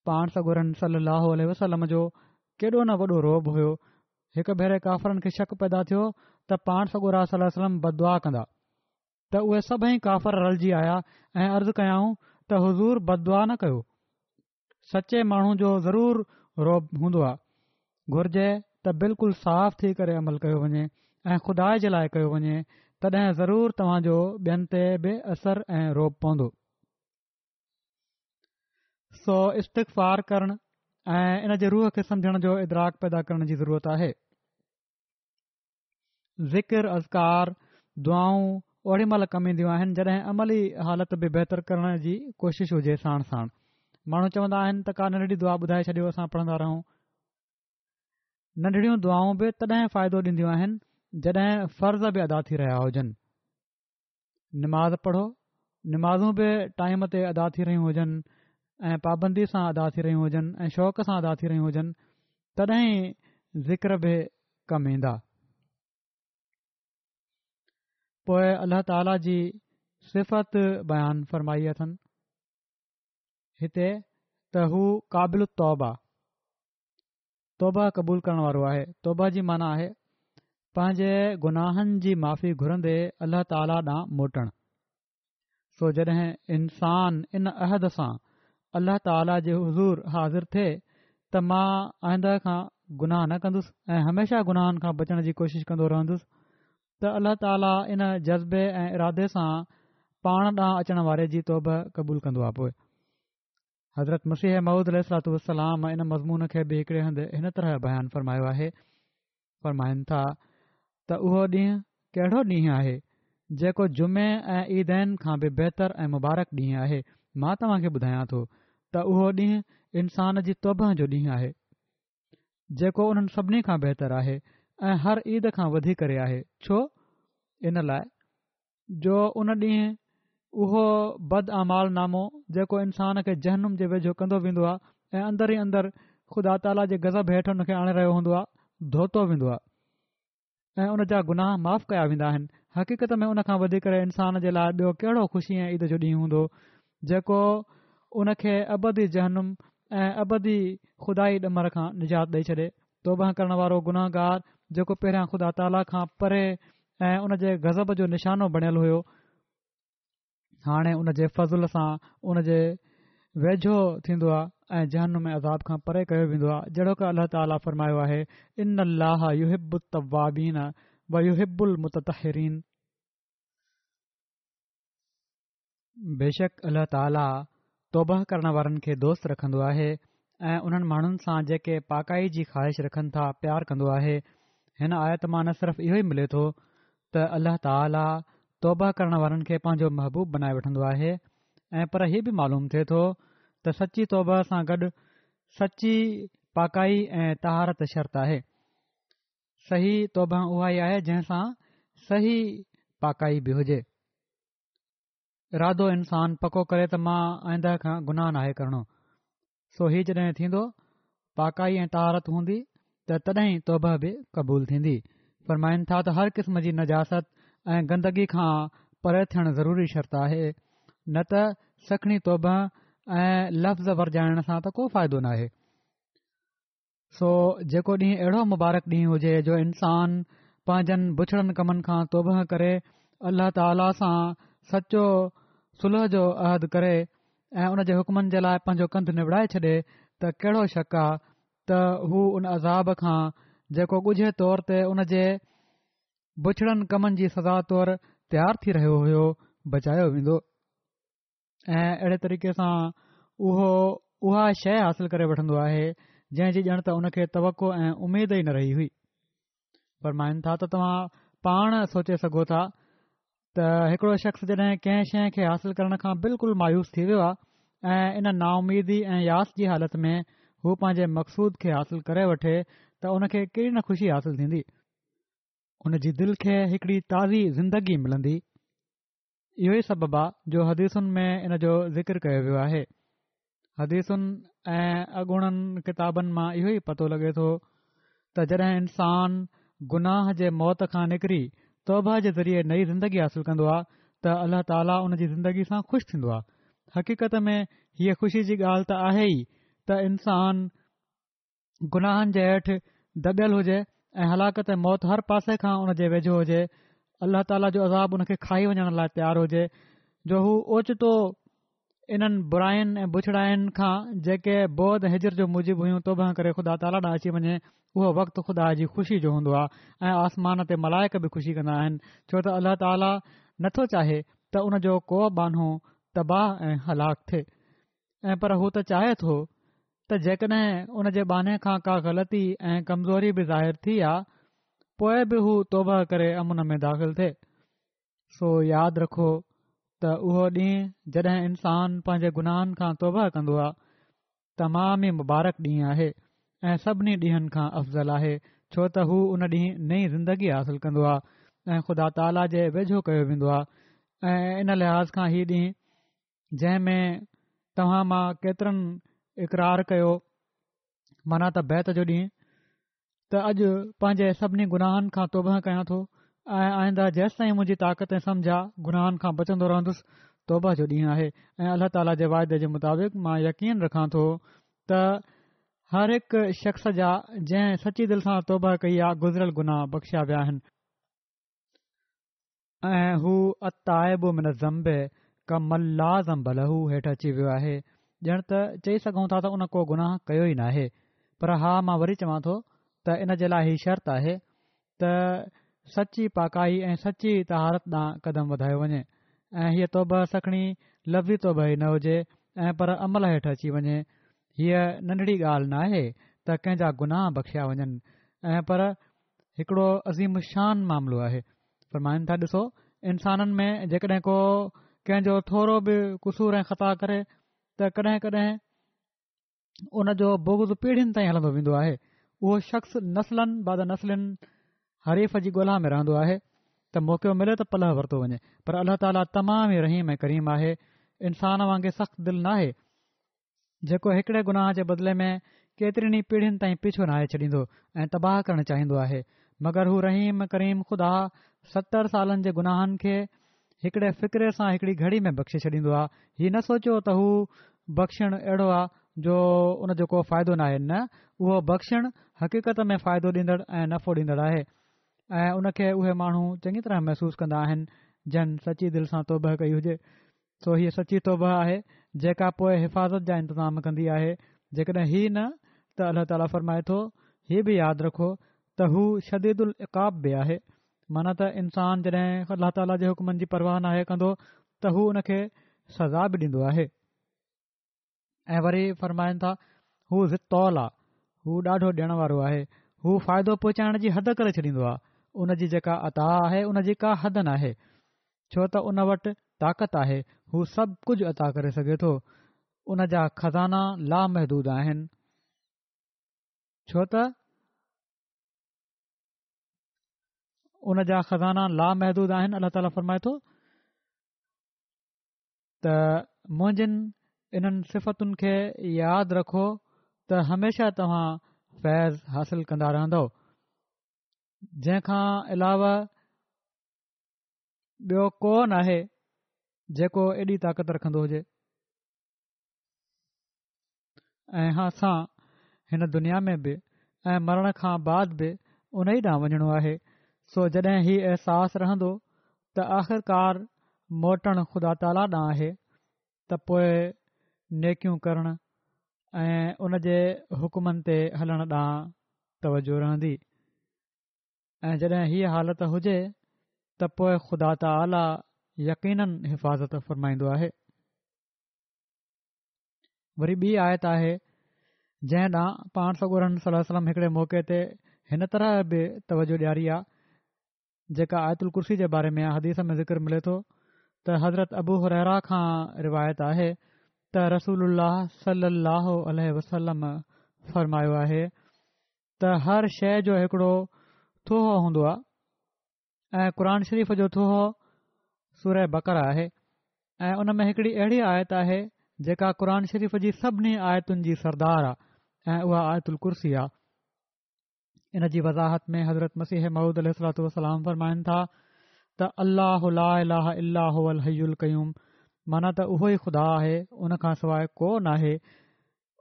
پاڻ سڳورن صلّي اللّٰه عليه وسلّم جو ڪيڏو نه وڏو رعب هيو، هڪ ڀيري ڪافرن کي شڪ پيدا ٿيو ته پاڻ سڳورا صلّي اللّٰه عليه وسلّم بددعا ڪندا ته اهي سڀئي ڪافر رلجي آيا ۽ عرض ڪيائون ته حضور بددعا نه ڪيو، سچي ماڻهو جو ضرور رعب هوندو آ، گهرجي ته بلڪل صاف ٿي ڪري عمل ڪيو وڃي ۽ خدا جي لاء ڪيو وڃي تڏهن ضرور توهان جو ٻين تي به اثر ۽ رعب پوندو. سو استغفار ڪرڻ ۽ ان جي روح کي سمجهڻ جو ادراڪ پيدا ڪرڻ جي ضرورت آهي. ذڪر اذڪار دعائون اوڏي مهل ڪم اينديون آهن جڏهن عملي حالت به بهتر ڪرڻ جي ڪوشش هجي ساڻ ساڻ ماڻهو چوندا آهن ته ڪا ننڍڙي دعا ٻڌائي ڇڏيو اسان پڙهندا رهون ننڍڙيون دعائون به تڏهن فائدو ڏينديون آهن جڏهن فرض به ادا ٿي رهيا هجن نماز پڙهو، نمازون به ٽائيم تي ادا ٿي رهيون هجن ۽ پابندي سان ادا ٿي رهيون هجن ۽ شوق سان ادا ٿي رهيون هجن تڏهن ئي ذڪر به ڪم ايندا. پوء الله تعاليٰ جي صفت بيان فرمائي اٿن هتي ته هو قابل التوب آ. توبه قبول ڪرڻ وارو آهي. توبه جي معنيٰ آهي پنهنجي گناهن جي معافي گهرندي الله تعاليٰ ڏانهن موٽڻ. سو جڏهن انسان ان عهد سان الله تعاليٰ جي حضور حاضر ٿئي ته مان آئنده کان گناهه نه ڪندس ۽ هميشه گناهن کان بچڻ جي ڪوشش ڪندو رهندس ته الله تعاليٰ ان جذبي ۽ ارادي سان پاڻ ڏانهن اچڻ واري جي توبه قبول ڪندو آهي. پوء حضرت مسيح موعود عليه الصلوة والسلام ان مضمون کي به هڪڙي هنڌ هن طرح بيان فرمايو آهي، فرمائن ٿا ته اهو ڏينهن ڪهڙو ڏينهن آهي جيڪو جمعي ۽ عيدين کان به بهتر ۽ مبارڪ ڏينهن آهي، مان توهان کي ٻڌايان ٿو ته اهو ڏينهن انسان جي توبه جو ڏينهن آهي جيڪو انهن سڀني کان بهتر آهي ۽ هر عيد کان وڌي ڪري آهي، ڇو؟ ان لاء جو ان ڏينهن اهو بد اعمال نامو جيڪو انسان کي جهنم جي ويجهو ڪندو ويندو آهي ۽ اندر ئي اندر خدا تعاليٰ جي غضب هيٺ ان کي آڻي رهيو هوندو آهي ڌوتو ويندو آهي ۽ ان جا گناهه معاف ڪيا ويندا آهن حقيقت ۾ ان کان وڌي ڪري انسان جي لاء ٻيو ڪهڙو خوشي ۽ عيد جو ڏينهن هوندو جيڪو ان کي ابدي جهنم ۽ ابدي خدائي ڏمر کان نجات ڏئي ڇڏي توبه ڪرڻ وارو گنهگار جيڪو پهريان خدا تعاليٰ کان پري ۽ ان جي غضب جو نشانو بڻيل هيو، هاڻي ان جي فضل سان ان جي ويجهو ٿيندو آهي ۽ جهنم ۾ عذاب کان پري ڪيو ويندو آهي جهڙوڪ الله تعاليٰ فرمايو آهي ان الله يحب التوابين ويحب المتطهرين بيشڪ الله تعاليٰ توبهه ڪرڻ وارن کي دوست رکندو آهي ۽ انهن ماڻهن سان جيڪي پاڪائي جي خواهش رکن ٿا پيار ڪندو آهي. هن آيت مان نه صرف اهو ئي ملي ٿو ته الله تعاليٰ توبهه ڪرڻ وارن کي پنهنجو محبوب بنائي وٺندو آهي ۽ پر هي به معلوم ٿئي ٿو ته سچي توبهه سان گڏ سچي پاڪائي ۽ طهارت شرط آهي. صحيح توبهه اها ئي آهي جنهن سان صحيح پاڪائي به هجي. ارادو انسان پڪو ڪري ته مان آئنده کان گناهه ناهي ڪرڻو سو هي جڏهن ٿيندو پاڪائي ۽ طهارت هوندي ته تڏهن ئي توبه به قبول ٿيندي فرمائن ٿا ته هر قسم جي نجاست ۽ گندگي کان پري ٿيڻ ضروري شرط آهي نه ته سکڻي توبه ۽ لفظ ورجائڻ سان ته ڪو فائدو ناهي سو جيڪو ڏينهن اهڙو مبارڪ ڏينهن هجي جو انسان پنهنجن بڇڙن ڪمن کان توبهه ڪري الله تعاليٰ سان سچو صلح جو عهد ڪري ۽ ان جي حڪمن جي لاء پنهنجو ڪنڌ نوڙائي ڇڏي ته ڪهڙو شڪ آ ته هو ان عذاب کان جيڪو ڳجهي طور تي ان جي بڇڙن ڪمن جي سزا طور تيار ٿي رهيو هيو بچايو ويندو. ۽ اهڙي طريقي سان اهو اها شيء حاصل ڪري وٺندو آهي جنهن جي ڄڻ ته ان کي توقع ۽ اميد ئي نه رهي هئي فرمائن ٿا ته توهان پاڻ سوچي سگهو ٿا ته هڪڙو شخص جڏهن ڪنهن شيء کي حاصل ڪرڻ کان بلڪل مايوس ٿي ويو آهي ۽ ان نااميدي ۽ ياس جي حالت ۾ هو پنهنجي مقصود کي حاصل ڪري وٺي ته ان کي ڪيڏي نه خوشي حاصل ٿيندي. ان جي دل کي هڪڙي تازي زندگي ملندي. اهو ئي سبب آ جو حديثن ۾ ان جو ذڪر ڪيو ويو آهي. حديثن ۽ اڳوڻن ڪتابن مان اهو ئي پتو لڳي ٿو ته جڏهن انسان گناهه جي موت کان نڪري توبه جي ذريعي نئين زندگي حاصل ڪندو آ ته الله تعاليٰ ان جي زندگي سان خوش ٿيندو آ. حقيقت ۾ هيء خوشي جي ڳالهه ته آهي ئي ته انسان گناهن جي هيٺ دٻيل هجي ۽ هلاڪت ۽ موت هر پاسي کان ان جي ويجهو هجي، الله تعاليٰ جو عذاب ان کي کائي وڃڻ لاء تيار هجي جو هو اوچتو انهن براين ۽ بڇڙاين کان جيڪي بعد ۽ هجر جو موجب هيون توبه ڪري خدا تعاليٰ ڏانهن اچي وڃي اهو وقت خدا جي خوشي جو هوندو آهي ۽ آسمان تي ملائڪ به خوشي ڪندا آهن ڇو ته الله تعاليٰ نٿو چاهي ته ان جو ڪو ٻانهو تباهه ۽ هلاڪ ٿئي ۽ پر هو ته چاهي ٿو ته جيڪڏهن ان جي ٻانهي کان ڪا غلطي ۽ ڪمزوري به ظاهر ٿي آ پوء به هو توبه ڪري امن ۾ داخل ٿئي. سو ياد رکو ته اهو ڏينهن جڏهن انسان پنهنجي گناهن کان توبه ڪندو آ تمام ئي مبارڪ ڏينهن آهي ۽ سڀني ڏينهن کان افضل آهي ڇو ته هو ان ڏينهن نئين زندگي حاصل ڪندو آ ۽ خدا تعاليٰ جي ويجهو ڪيو ويندو آ ۽ ان لحاظ کان هي ڏينهن جنهن ۾ توهان مان ڪيترن اقرار ڪيو معنيٰ ته بيعت جو ڏينهن ته اڄ پنهنجي سڀني گناهن کان توبه ڪيان ٿو ۽ آئنده جيستائين منهنجي طاقت ۽ سمجهه آ گناهن کان بچندو رهندس توبه جو ڏينهن آهي ۽ الله تعاليٰ جي واعدي جي مطابق مان يقين رکان ٿو ته هر هڪ شخص جا جنهن سچي دل سان توبه ڪئي آ گذريل گناهه بخشيا ويا آهن. ۽ هو التائب من الذنب ڪمن لا ذنب له هيٺ اچي ويو آهي ڄڻ ته چئي سگهون ٿا ته ان ڪو گناهه ڪيو ئي ناهي پر ها مان وري چوان ٿو ته ان جي لاء هي شرط آهي ته سچي پاڪائي ۽ سچي طهارت ڏانهن قدم وڌايو وڃي ۽ هيء توبه سکڻي لفظي توبه ئي نه هجي ۽ پر عمل هيٺ اچي وڃي هيء ننڍڙي ڳالهه ناهي ته ڪنهن جا گناهه بخشيا وڃن ۽ پر هڪڙو عظيم الشان معاملو آهي. فرمائن ٿا ڏسو انسانن ۾ جيڪڏهن ڪو ڪنهن جو ٿورو به قصور ۽ خطا ڪري ته ڪڏهن ڪڏهن ان جو بغض پيڙهين تائين هلندو ويندو آهي اهو شخص نسلاً بعد نسل حريف جي ڳولها ۾ رهندو آهي ته موقعو ملي ته پلئه ورتو وڃي پر الله تعاليٰ تمام ئي رحيم ۽ ڪريم آهي انسان وانگي سخت دل ناهي جيڪو هڪڙي گناهه جي بدلي ۾ ڪيترين ئي پيڙهين تائين پيڇو ناهي ڇڏيندو ۽ تباهه ڪرڻ چاهيندو آهي مگر هو رحيم ڪريم خدا 70 سالن جي گناهن کي هڪڙي فقري سان هڪڙي گهڙي ۾ بخشي ڇڏيندو آهي هي نه سوچيو ته هو بخشڻ اهڙو آهي جو ان جو ڪو فائدو ناهي نه اهو بخشڻ حقيقت ۾ فائدو ڏيندڙ ۽ نفعو ڏيندڙ آهي ۽ ان کي اهي ماڻهو چڱي طرح محسوس ڪندا آهن جن سچي دل سان توبهه ڪئي هجي سو هيء سچي توبهه آهي، جيڪا پوء حفاظت جا انتظام ڪندي آهي. جيڪڏهن هي نه ته الله تعاليٰ فرمائي ٿو، هي به ياد رکو ته هو شديد العقاب به آهي. معنيٰ ته انسان جڏهن الله تعاليٰ جي حڪمن جي پرواهه ناهي ڪندو ته هو ان کي سزا به ڏيندو آهي. ۽ وري فرمائن ٿا، هو ذي الطول آ، هو ڏاڍو ڏيڻ وارو آهي، هو فائدو پهچائڻ جي حد ڪري ڇڏيندو آ، ان جي جيڪا عطا آهي ان جي ڪا حد ناهي، ڇو ته ان وٽ طاقت آهي، هو سڀ ڪجهه عطا ڪري سگهي ٿو، ان جا خزانا لامحدود آهن، ڇو ته ان جا خزانا لامحدود آهن، الله تعاليٰ فرمائي ٿو. ته منهنجين انهن صفتن کي ياد رکو ته هميشه توهان فيض حاصل ڪندا رهندؤ جنهن کان علاوه ٻيو ڪو ناهي جيڪو ايڏي طاقت رکندو هجي ۽ اسان هن دنيا ۾ به ۽ مرڻ کان بعد به ان ئي ڏانهن وڃڻو آهي، سو جڏهن هي احساس رهندو ته آخرڪار موٽڻ خدا تعاليٰ ڏانهن آهي ته پوء نيڪيون ڪرڻ ۽ ان جي حڪمن تي هلڻ ڏانهن توجه رهندي ۽ جڏهن هيء حالت هجي ته پوء خدا تعاليٰ يقيناً حفاظت فرمائيندو آهي. وري ٻي آيت آهي جنهن ڏانهن پاڻ سڳورن صلي الله عليه وسلم هڪڙي موقعي تي هن طرح به توجه ڏياري آ جيڪا آيت الڪرسي جي باري ۾ آ حديث ۾ ذڪر ملي ٿو ته حضرت ابو هريره کان روايت آهي ته رسول الله صلي الله عليه وسلم فرمايو آهي ته هر شيء جو هڪڙو ٿوهو هوندو آهي ۽ قرآن شريف جو ٿوهو سوره بقره آهي ۽ ان ۾ هڪڙي اهڙي آيت آهي جيڪا قرآن شريف جي سڀني آيتن جي سردار آهي ۽ اها آيت الڪرسي آهي. ان جي وضاحت ۾ حضرت مسيح موعود عليه الصلوة والسلام فرمائن ٿا ته الله لا اله الا هو الحي القيوم معنيٰ ته اهو ئي خدا آهي ان کان سواء ڪو ناهي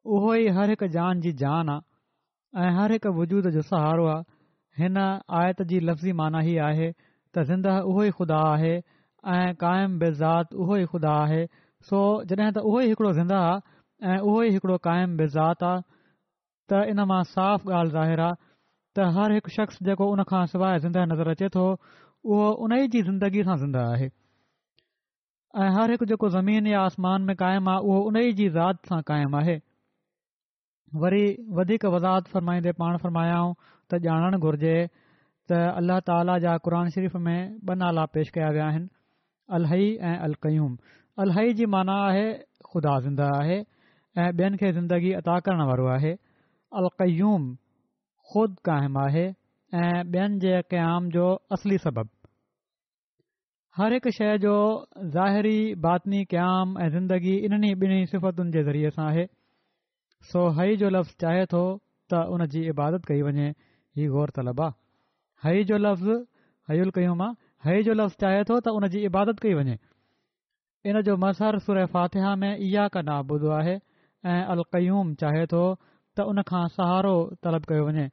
اهو ئي هر هڪ جان جي جان آ ۽ هر هڪ وجود جو سهارو آ هن آيت جي لفظي معنيٰ هي آهي ته زنده اهو ئي خدا آهي ۽ قائم بالذات اهو ئي خدا آهي سو جڏهن ته اهو ئي هڪڙو زنده آ ۽ اهو ئي هڪڙو قائم بالذات آ ته ان مان صاف ڳالهه ظاهر آ ته هر هڪ شخص جيڪو ان کان سواء زنده نظر اچي ٿو اهو ان ئي جي زندگي سان زنده آهي ۽ هر هڪ جيڪو زمين يا آسمان ۾ قائم آ اهو ان ئي جي ذات سان قائم آهي. وري وڌيڪ وضاحت فرمائيندي پاڻ فرمايائون ته ڄاڻڻ گهرجي ته الله تعاليٰ جا قرآن شريف ۾ ٻه نالا پيش ڪيا ويا آهن الحي ۽ القيوم. الحي جي معنيٰ آهي خدا زنده آهي ۽ ٻين کي زندگي عطا ڪرڻ وارو آهي. القيوم خود قائم آهي ۽ ٻين جي قيام جو اصلي سبب. هر هڪ شيء جو ظاهري باطني قيام ۽ زندگي انهن ئي ٻنهي صفتن جي ذريعي سان آهي. سو حي جو لفظ چاهي ٿو ته ان جي عبادت ڪئي وڃي، هي غور طلب آ. حي جو لفظ حي القيوم آ، حي جو لفظ چاهي ٿو ته ان جي عبادت ڪئي وڃي. ان جو مظهر سوره فاتحه ۾ اياڪ نعبد آهي ۽ القيوم چاهي ٿو ته ان کان سهارو طلب ڪيو وڃي.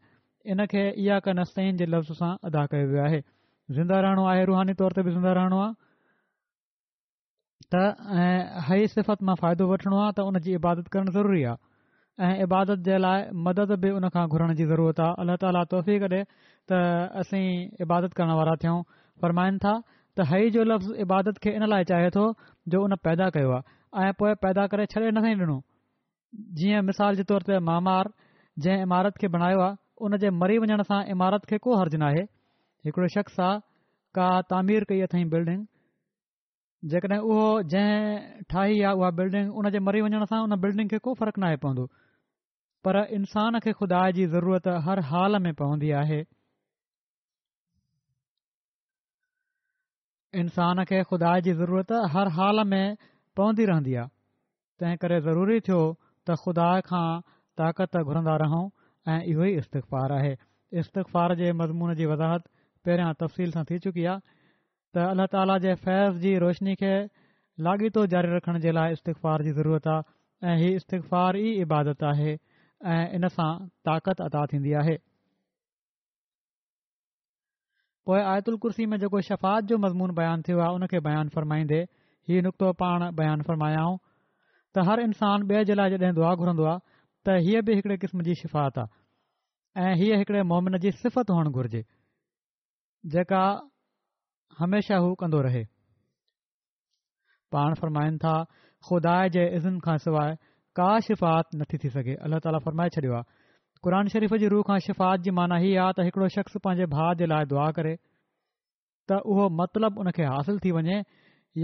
ان کي اياڪ نستعين جي لفظ سان ادا ڪيو ويو آهي. زنده رهڻو آهي روحاني طور تي به زنده رهڻو آ. ته ۽ حي صفت مان فائدو وٺڻو آهي ته ان جي عبادت ڪرڻ ضروري آهي ۽ عبادت جي لاء مدد به ان کان گهرڻ جي ضرورت آهي الله تعاليٰ توفيق ڏي ته اسين عبادت ڪرڻ وارا ٿيون فرمائن ٿا ته حي جو لفظ عبادت کي ان لاء چاهي ٿو جو ان پيدا ڪيو آهي ۽ پوء پيدا ڪري ڇڏي نه ڏنو جيئن مثال جي طور تي معمار جنهن عمارت کي بڻايو آهي ان جي مري وڃڻ سان عمارت کي ڪو حرج ناهي هڪڙو شخص آ ڪا تعمير ڪئي اٿئين بلڊنگ جيڪڏهن اهو جنهن ٺاهي آ اها بلڊنگ ان جي مري وڃڻ سان ان بلڊنگ کي ڪو فرق ناهي پوندو پر انسان کي خدا جي ضرورت هر حال ۾ پوندي آهي انسان کي خدا جي ضرورت هر حال ۾ پوندي رهندي آهي، تنهن ڪري ضروري ٿيو ته خدا کان طاقت گهرندا رهون ۽ اهو ئي استغفار آهي. استغفار جي مضمون جي وضاحت پهريان تفصيل سان ٿي چڪي آهي ته الله تعاليٰ جي فيض جي روشني کي لاڳيتو جاري رکڻ جي لاء استغفار جي ضرورت آهي ۽ هي استغفار ئي عبادت آهي ۽ ان سان طاقت عطا ٿيندي آهي. پوء آيت الڪرسي ۾ جيڪو شفاعت جو مضمون بيان ٿيو آهي ان کي بيان فرمائيندي هي نڪتو پاڻ بيان فرمايائون ته هر انسان ٻئي جي لاء جڏهن دعا گهرندو آهي ته هيء به هڪڙي قسم جي شفاعت آهي ۽ هيء هڪڙي مومن جي صفت هئڻ گهرجي جيڪا هميشه هو ڪندو رهي. پاڻ فرمائن ٿا، خدا جي اذن کان سواء ڪا شفاعت نٿي ٿي سگهي. الله تعاليٰ فرمائي ڇڏيو آهي. قرآن شريف جي رو کان شفاعت جي معنيٰ هي آهي ته هڪڙو شخص پنهنجي ڀاء جي لاء دعا ڪري ته اهو مطلب ان کي حاصل ٿي وڃي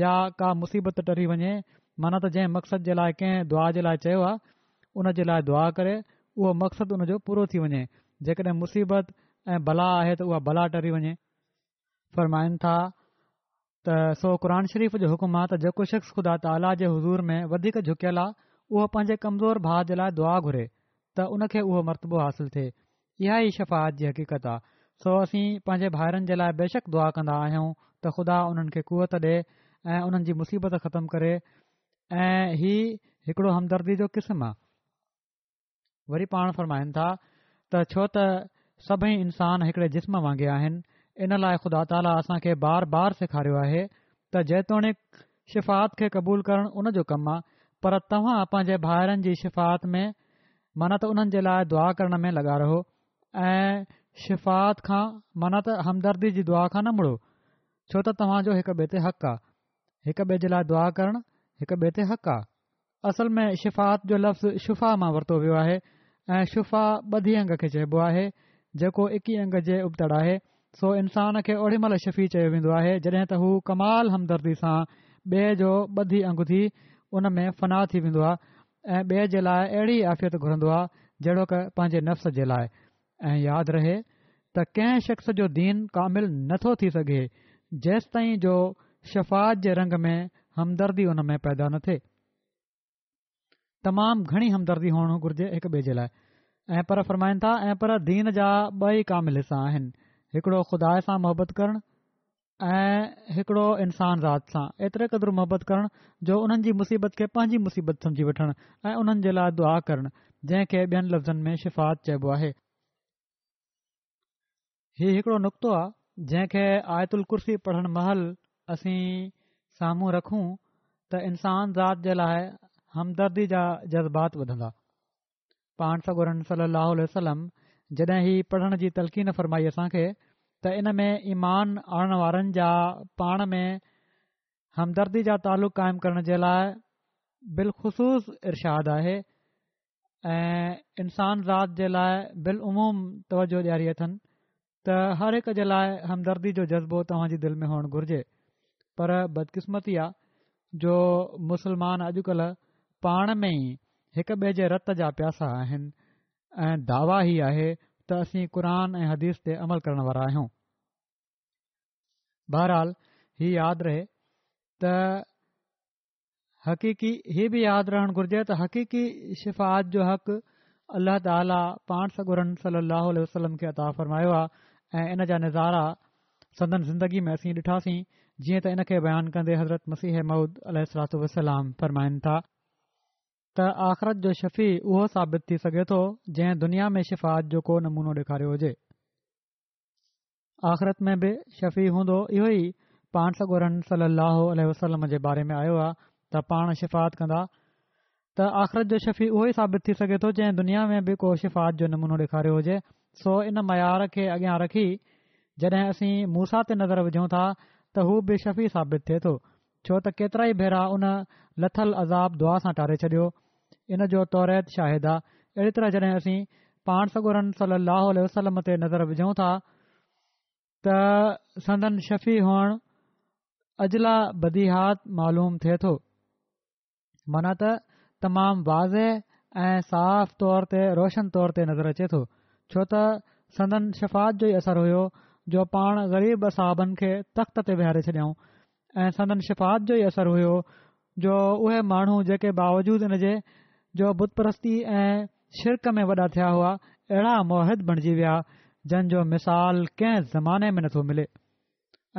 يا ڪا مصيبت ٽري وڃي معنيٰ ته جنهن مقصد جي لاء ڪنهن دعا جي لاء چيو آهي ان جي لاء دعا ڪري اهو مقصد ان جو پورو ٿي وڃي جيڪڏهن مصيبت ۽ بلا آهي ته اها بلا ٽري وڃي. فرمائن ٿا ته سو قرآن شريف جو حڪم آ ته جيڪو شخص خدا تعاليٰ جي حضور ۾ وڌيڪ جهڪيل آ اهو پنهنجي ڪمزور ڀاء جي لاء دعا گهري ته ان کي اهو مرتبو حاصل ٿئي. اها ئي شفاعت جي حقيقت آ. سو اسين پنهنجي ڀائرن جي لاء بيشڪ دعا ڪندا آهيون ته خدا انهن کي قوت ڏي ۽ انهن جي مصيبت ختم ڪري ۽ هي هڪڙو همدردي جو قسم آ. وري پاڻ فرمائن ٿا ته ڇو ته سڀئي انسان هڪڙي جسم وانگي آهن ان لاء خدا تعاليٰ اسان کي بار بار سيکاريو آهي ته جيتوڻيڪ شفاعت کي قبول ڪرڻ ان جو ڪم آ پر توهان پنهنجي ڀائرن جي شفاعت ۾ معنيٰ ته انهن جي لاء دعا ڪرڻ ۾ لڳا رهو ۽ شفاعت کان معنيٰ ته همدردي جي دعا کان نه مڙو ڇو ته توهان جو هڪ ٻئي تي حق آ هڪ ٻئي جي لاء دعا ڪرڻ هڪ ٻئي تي حق آ. اصل ۾ شفاعت جو لفظ شفا مان ورتو ويو آهي ۽ شفا ٻڌي انگ کي چئبو آهي جيڪو اڪي انگ جي ابتڙ آهي سو انسان کي اوڏي مهل شفيع چيو ويندو آهي جڏهن ته هو ڪمال همدردي سان ٻئي جو ٻڌي انگ ٿي ان ۾ فنا ٿي ويندو آهي ۽ ٻئي جي لاء اهڙي عافيت گهرندو آهي جهڙوڪ پنهنجي نفس جي لاء ۽ ياد رهي ته ڪنهن شخص جو دين ڪامل نه ٿو ٿي سگهي جيستائين جو شفاعت جي رنگ ۾ همدردي ان ۾ پيدا نه ٿئي. تمام گهڻي همدردي هئڻ گهرجي هڪ ٻئي جي لاء ۽ پر فرمائن ٿا ۽ پر دين جا ٻه ئي ڪامل حصا آهن هڪڙو خدا سان محبت ڪرڻ ۽ هڪڙو انسان ذات سان ايتري قدر محبت ڪرڻ جو انهن جي مصيبت کي پنهنجي مصيبت سمجهي وٺڻ ۽ انهن جي لاء دعا ڪرڻ جنهن کي ٻين لفظن ۾ شفاعت چئبو آهي. هي هڪڙو نڪتو آ جنهن کي آيت الڪرسي پڙهڻ مهل اسين سامهون رکون ته انسان ذات جي لاء همدردي جا جذبات وڌندا. پاڻ سڳورن صلي الله عليه وسلم جڏهن هي پڙهڻ جي تلقين فرمائي اسان کي ته ان ۾ ايمان آڻڻ وارن جا پاڻ ۾ همدردي جا تعلق قائم ڪرڻ جي لاء بالخصوص ارشاد آهي ۽ انسان ذات جي لاء بالعموم توجه ڏياري اٿن ته هر هڪ جي لاء همدردي جو جذبو توهان جي دل ۾ هئڻ گهرجي پر بدقسمتي آ جو مسلمان اڄڪلهه پاڻ ۾ ئي هڪ ٻئي جي رت جا پياسا آهن ۽ دعويٰ هي آهي ته اسين قرآن ۽ حديث تي عمل ڪرڻ وارا آهيون. بهرحال هي ياد رهي ته حقيقي هي به ياد رهڻ گهرجي ته حقيقي شفاعت جو حق الله تعاليٰ پاڻ سڳورن صلي الله عليه وسلم کي عطا فرمايو آهي ۽ ان جا نظارا سندن زندگي ۾ اسين ڏٺاسين جيئن ته ان کي بيان ڪندي حضرت مسيح موعود عليه الصلوٰة والسلام فرمائن ٿا ته آخرت جو شفيع اهو ثابت ٿي سگهي ٿو جنهن دنيا ۾ شفاعت جو ڪو نمونو ڏيکاريو هجي. آخرت ۾ به شفيع هوندو اهو ئي پاڻ سڳورن صلي الله عليه وسلم جي باري ۾ آيو آهي ته پاڻ شفاعت ڪندا ته آخرت جو شفيع اهو ئي ثابت ٿي سگهي ٿو جنهن دنيا ۾ به ڪو شفاعت جو نمونو ڏيکاريو هجي سو ان معيار کي اڳيان رکي جڏهن اسين موسيٰ تي نظر وجهون ٿا ته هو به شفيع ثابت ٿئي ٿو ڇو ته ڪيترائي ڀيرا ان لٿل عذاب دعا سان ٽاري ڇڏيو، ان جو توريت شاهد آ. اهڙي طرح جڏهن اسين پاڻ سڳورن صلّي اللّٰه عليه وسلّم تي نظر وجهون ٿا ته سندن شفيع هئڻ اجليٰ بديهيات معلوم ٿئي ٿو. معنيٰ ته تمام واضح ۽ صاف طور تي روشن طور تي نظر اچي ٿو، ڇو ته سندن شفاعت جو ئي اثر هيو جو پاڻ غريب اصحابن کي تخت تي ويهاري ڇڏيائون ۽ سندن شفاعت جو ئي اثر هيو جو اهي ماڻهو جيڪي باوجود ان جي جو بت پرستي ۽ شرڪ ۾ وڏا ٿيا هئا اهڙا موحد بڻجي ويا جن جو مثال ڪنهن زماني ۾ نٿو ملي.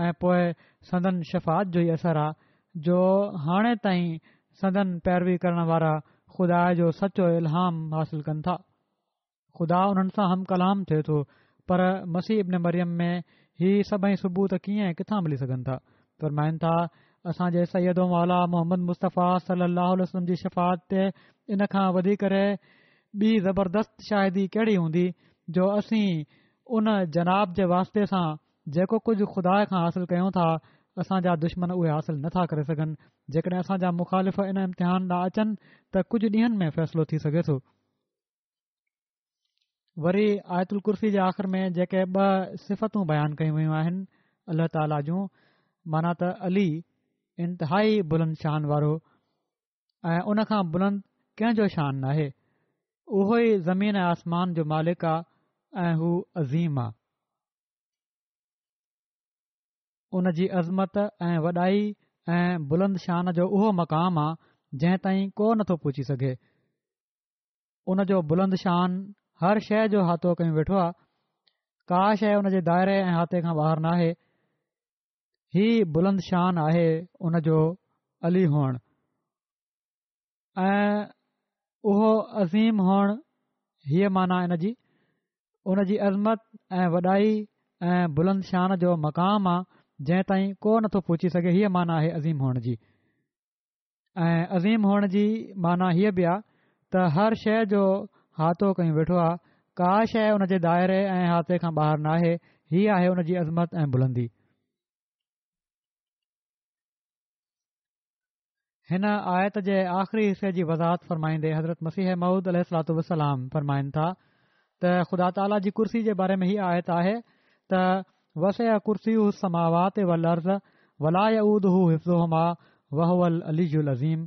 ۽ پوء سندن شفاعت جو ئي اثر آ جو هاڻي تائين سندن پيروي ڪرڻ وارا خدا جو سچو الهام حاصل ڪن ٿا. خدا انهن سان هم ڪلام ٿئي ٿو پر مسيح ابن مريم ۾ هي سڀئي ثبوت ڪيئن ۽ ڪٿان ملي سگهن ٿا؟ فرمائن ٿا، اسان جي سيد و مولا محمد مصطفيٰ صلي الله عليه وسلم جي شفاعت تي ان کان وڌي ڪري ٻي زبردست شاهدي ڪهڙي هوندي جو اسين ان جناب جي واسطي سان جيڪو ڪجهه خدا کان حاصل ڪيون ٿا، اسان جا دشمن اهي حاصل نه ٿا ڪري سگهن. جيڪڏهن اسان جا مخالف ان امتحان ڏانهن اچن ته ڪجهه ڏينهن ۾ فيصلو ٿي سگهي ٿو. وري آيت الڪرسي جي آخر ۾ جيڪي ٻه صفتون بيان ڪيون ويون آهن الله تعاليٰ جون، معنيٰ ته علي انتهائي بلند شان وارو ۽ ان کان بلند ڪنهن جو شان ناهي، اهو ئي زمين ۽ آسمان جو مالڪ آ ۽ هو عظيم آ. ان جي عظمت ۽ وڏائي ۽ بلند شان جو اهو مقام آ جنهن تائين ڪو نٿو پهچي سگهي. ان جو بلند شان هر شيء جو احاطو ڪيون ويٺو آ. ڪا شيء ان جي دائري ۽ احاطي کان ٻاهر ناهي. هي بلند شان آهي ان جو علي هئڻ. ۽ اهو عظيم هئڻ هيء معنيٰ ان جي ان جي عظمت ۽ وڏائي ۽ بلند شان جو مقام آ جنهن تائين ڪو نٿو پهچي سگهي هيء معنيٰ آهي عظيم هئڻ جي ۽ عظيم هئڻ جي معنيٰ هيء به آ ته هر شيء جو احاطو ڪيون ويٺو آ ڪا شيء ان جي دائري ۽ احاطي کان ٻاهر ناهي هي آهي ان جي عظمت ۽ بلندي. هن آيت جي آخري حصي جي وضاحت فرمائيندي حضرت مسيح موعود عليه الصلوة والسلام فرمائن ٿا ته خدا تعاليٰ جي ڪرسي جي باري ۾ هي آيت آهي ته وسع ڪرسيه السماوات والارض ولا يئوده حفظهما وهو العلي العظيم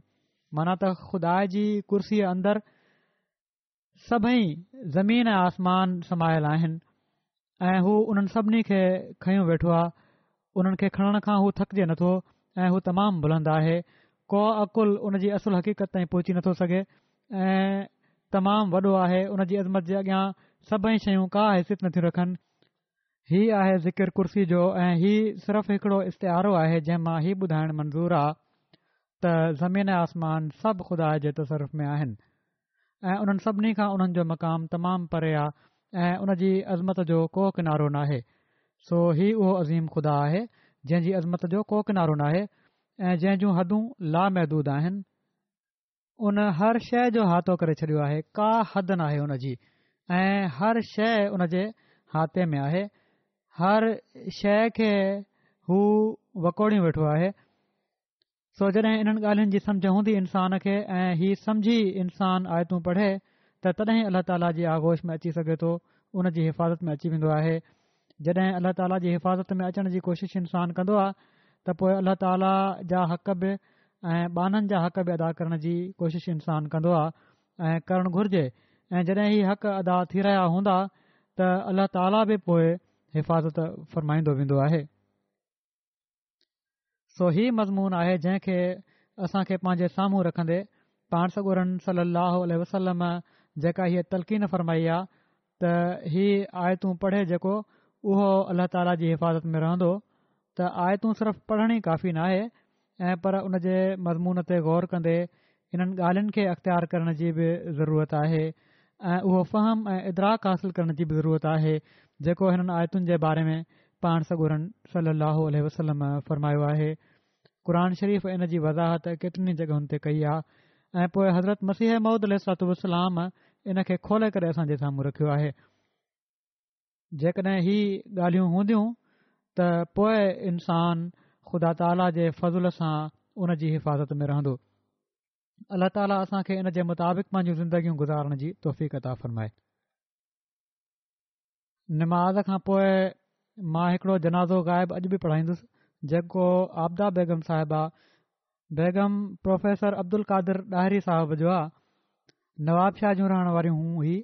معنيٰ ته خدا جي ڪرسي اندر. سڀئي زمين ۽ آسمان سمايل آهن ۽ هو انهن سڀني کي کنيو ويٺو آهي، انهن کي کڻڻ کان هو ٿڪجي نٿو ۽ هو تمام بلند آهي، ڪو عقل ان جي اصل حقيقت تائين پهچي نٿو سگهي ۽ تمام وڏو آهي، ان جي عظمت جي اڳيان سڀئي شيون ڪا حيثيت نٿيون رکن. هي آهي ذڪر ڪرسي جو ۽ هي صرف هڪڙو استعارو آهي جنهن مان هي ٻڌائڻ منظور آ ته زمين ۽ آسمان سڀ خدا جي تصرف ۾ آهن. ۽ انهن سڀني کان انهن جو مقام تمام پري آ ۽ ان جي عظمت جو ڪو ڪنارو ناهي. سو هي اهو عظيم خدا آهي جنهن جي عظمت جو ڪو ڪنارو ناهي ۽ جنهن جون حدون لامحدود آهن. ان هر شيء جو احاطو ڪري ڇڏيو آهي، ڪا حد ناهي ان جي ۽ هر شيء ان جي احاطي ۾ آهي، هر شيء کي هو وڪوڙيون ويٺو آهي. سو جڏهن انهن ڳالهين جي سمجهه هوندي انسان کي ۽ هي سمجهي انسان آيتون پڙهي ته تڏهن الله تعاليٰ جي آغوش ۾ اچي سگهي ٿو، ان جي حفاظت ۾ اچي ويندو آهي. جڏهن الله تعاليٰ جي حفاظت ۾ اچڻ جي ڪوشش انسان ڪندو آهي ته پوء الله تعاليٰ جا حق به ۽ ٻانهن جا حق به ادا ڪرڻ جي ڪوشش انسان ڪندو آهي ۽ ڪرڻ گهرجي ۽ جڏهن هي حق ادا ٿي رهيا هوندا ته الله تعاليٰ به پوء حفاظت فرمائيندو ويندو آهي. سو هي مضمون آهي جنهن کي اسان کي پنهنجي سامهون رکندي پاڻ سڳورن صلي الله عليه وسلم جيڪا هيء تلقين فرمائي آ ته هي آيتون پڙهي جيڪو اهو الله تعاليٰ جي حفاظت ۾ رهندو ته آيتون صرف پڙهڻ ئي ڪافي ناهي ۽ پر ان جي مضمون تي غور ڪندي انهن ڳالهين کي اختيار ڪرڻ جي به ضرورت آهي ۽ اهو فهم ۽ ادراڪ حاصل ڪرڻ جي به ضرورت آهي جيڪو هنن آيتن جي باري ۾ پاڻ سڳورن صلي الله عليه وسلم فرمايو آهي. قرآن شريف ان جي وضاحت ڪيترين ئي جڳهن تي ڪئي آهي ۽ پوء حضرت مسيح موعود عليه الصلوة والسلام ان کي کولي ڪري اسان جي سامهون رکيو آهي. جيڪڏهن هي ڳالهيون هونديون ته پوء انسان خدا تعاليٰ جي فضل سان ان جي حفاظت ۾ رهندو. الله تعاليٰ اسان کي ان جي مطابق پنهنجون زندگيون گذارڻ جي توفيق عطا فرمائي. نماز کان پوء مان هڪڙو جنازو غائب اڄ به پڙهائيندس جيڪو عابده بيگم صاحبه بيگم پروفيسر عبدالقادر ڏاهري صاحب جو آ نوابشاهه جون رهڻ واريون هيون هي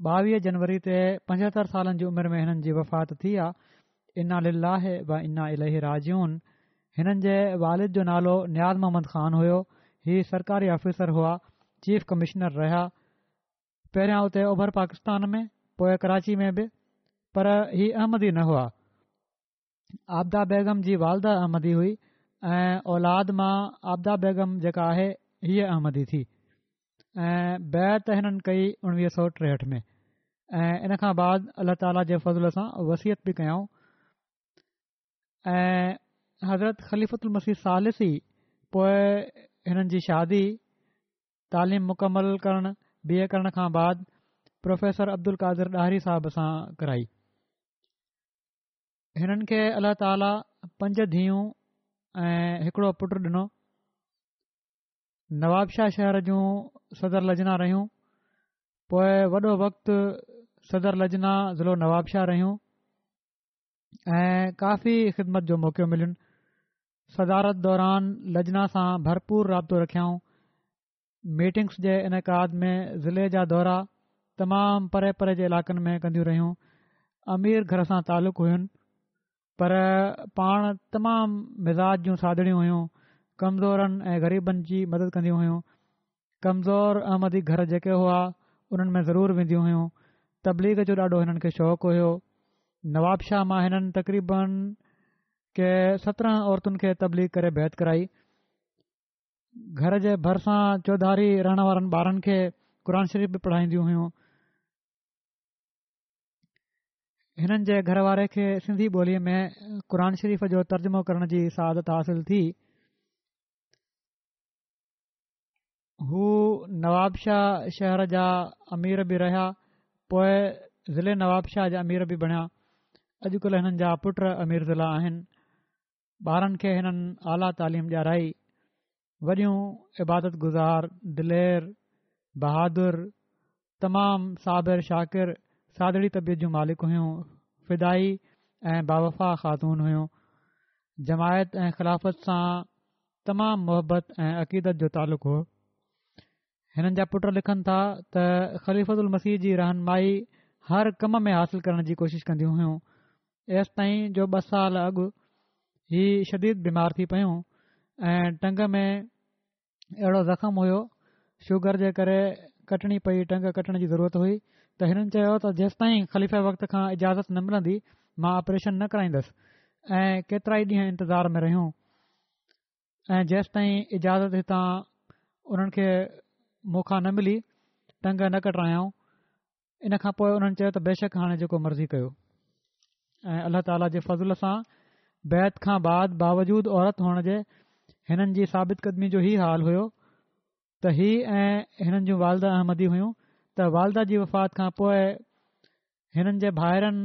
ٻاويهه جنوري تي پنجهتر سالن جي عمر ۾ هنن جي وفات ٿي آ انا لله و انا اليه راجعون هنن جي والد جو نالو نياز محمد خان هيو هي سرڪاري آفيسر هئا چيف ڪمشنر رهيا پهريان اتي اوڀر پاڪستان ۾ پوء ڪراچي ۾ به پر هي احمدي نه هئا. عابده بيگم جي والده احمدي هئي ۽ اولاد مان عابده بيگم جيڪا آهي هيء احمدي ٿي ۽ بيعت هنن ڪئي اڻويهه سو ٽيهٺ ۾ ۽ ان کان بعد الله تعاليٰ جي فضل سان وصيت به ڪيائون ۽ حضرت خليفة المسيح ثالث ئي پوء هنن جي شادي تعليم مڪمل ڪرڻ بي اي ڪرڻ کان بعد پروفيسر عبدالقادر ڏاهري صاحب سان ڪرائي. هنن کي الله تعاليٰ پنج ڌيئون ۽ هڪڙو پٽ ڏنو. نوابشاهه شهر جون صدر لجنا رهيون. پوء وڏو وقت صدر لجنا ضلعو نوابشاهه رهيون. ۽ ڪافي خدمت جو موقعو ملين. صدارت دوران لجنا سان ڀرپور رابطو رکيائون. ميٽنگس جي انعقاد ۾ ضلعي جا دورا تمام پري پري جي علائقن ۾ ڪنديون رهيون. امير گهر سان تعلق هين پر پاڻ تمام مزاج جون سادڙيون هيون. ڪمزورن ۽ غريبن جي مدد ڪنديون هيون. ڪمزور احمدي گهر جيڪي هئا انهن ۾ ضرور وينديون هيون. تبليغ جو ڏاڍو هنن کي شوق هيو. نوابشاهه مان هنن تقريبن ڪي 17 عورتن کي تبليغ ڪري بيعت ڪرائي. گهر جي ڀرسان چوڌاري رهڻ وارن ٻارن کي قرآن شريف به پڙهائينديون هيون. هنن جي گهر واري کي سنڌي ٻوليء ۾ قرآن شريف جو ترجمو ڪرڻ جي سعادت حاصل ٿي. هو نوابشاهه شهر جا امير به رهيا، پوء ضلعي نوابشاهه جا امير به بڻيا. اڄڪلهه هنن جا پٽ امير ضلع آهن. ٻارن کي هنن اعليٰ تعليم ڏيارائي. وڏيون عبادت گذار، دلير، بهادر، تمام صابر شاڪر، سادڙي طبيعت جون مالڪ هيون. فدائي ۽ باوفا خاتون هيون. جماعت ۽ خلافت سان تمام محبت ۽ عقيدت جو تعلق هو. هنن جا پٽ لکن ٿا ته خليفة المسيح جي رهنمائي هر ڪم ۾ حاصل ڪرڻ جي ڪوشش ڪنديون هيون ايستائين جو ٻه سال اڳ هي شديد بيمار ٿي پيون ۽ ٽنگ ۾ اهڙو زخم هيو شوگر جي ڪري ڪٽڻي پئي ٽنگ ڪٽڻ جي ضرورت هئي ته هنن چيو ته جيستائين خليفه وقت کان اجازت نه ملندي مان آپريشن نه ڪرائيندس ۽ ڪيترائي ڏينهن انتظار ۾ رهيون ۽ جيستائين اجازت هتان انهن کي مون کان نه ملي ٽنگ نه ڪٽرايائون ان کان پوء انهن چيو ته بيشڪ هاڻي جيڪو مرضي ڪيو ۽ الله تعاليٰ جي فضل سان بيعت کان بعد باوجود عورت هئڻ جي هنن جي ثابت قدمي جو هي حال هيو ته هي ۽ هنن جون والده احمدي هيون ته والده جي وفات کان پوء هنن جي ڀائرن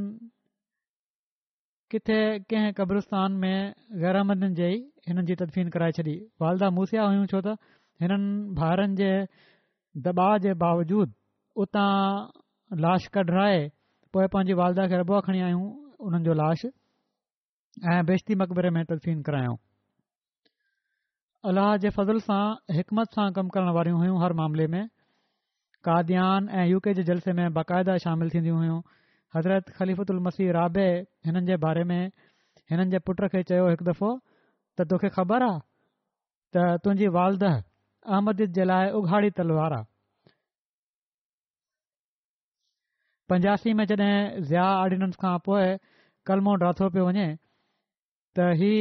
ڪٿي ڪنهن قبرستان ۾ غيراحمدين جي ئي هنن جي تدفين ڪرائي ڇڏي. والده موصيه هيون ڇو ته هنن ڀائرن جي دٻاء جي باوجود اتان لاش ڪڍرائي پوء پنهنجي والده کي ربوه کڻي آيون انهن جو لاش ۽ بهشتي مقبري ۾ تدفين ڪرايائون. الله جي فضل سان حڪمت سان ڪم ڪرڻ واريون هيون هر معاملي ۾ قاديان ۽ يو ڪي جي جلسي ۾ باقاعده شامل ٿينديون هيون حضرت خليفة المسيح رابع هنن جي باري ۾ هنن جي پٽ کي چيو هڪ دفعو ته توکي خبر آ ته تنهنجي والده احمديت جي لاء اگهاڙي تلوار آ 85 ۾ جڏهن ضياء آرڊيننس کان پوء ڪلمو ڊاٿو پيو وڃي ته هي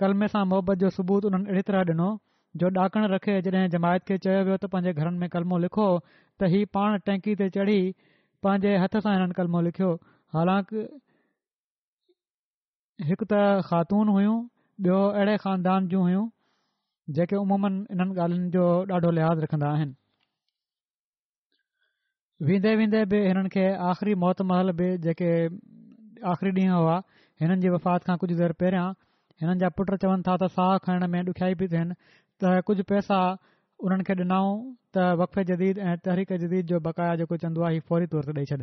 ڪلمي سان محبت جو ثبوت انهن اهڙي طرح ڏنو جو ڏاڪڻ رکي جڏهن جماعت کي چيو ويو ته پنهنجي گهرن ۾ ڪلمو لکو ته هي پاڻ ٽينڪي تي چڙهي پنهنجي هٿ سان هنن ڪلمو لکيو حالانڪ هڪ ته خاتون هيون ٻيو اهڙي خاندان جون هيون جيڪي عموماً انهن ڳالهين جو ڏاڍو لحاظ رکندا آهن. ويندي ويندي به هنن کي آخري موت مهل به جيڪي آخري ڏينهن هئا هنن جي وفات کان ڪجهه دير پهريان هنن جا پٽ چون ٿا ته ساهه کڻڻ ۾ ڏکيائي پئي ٿين ته ڪجهه پئسا انهن کي ڏنائون ته وقف جديد ۽ تحريڪ جديد جو بقايا جيڪو چندو آهي هي فوري طور تي ڏئي ڇڏ.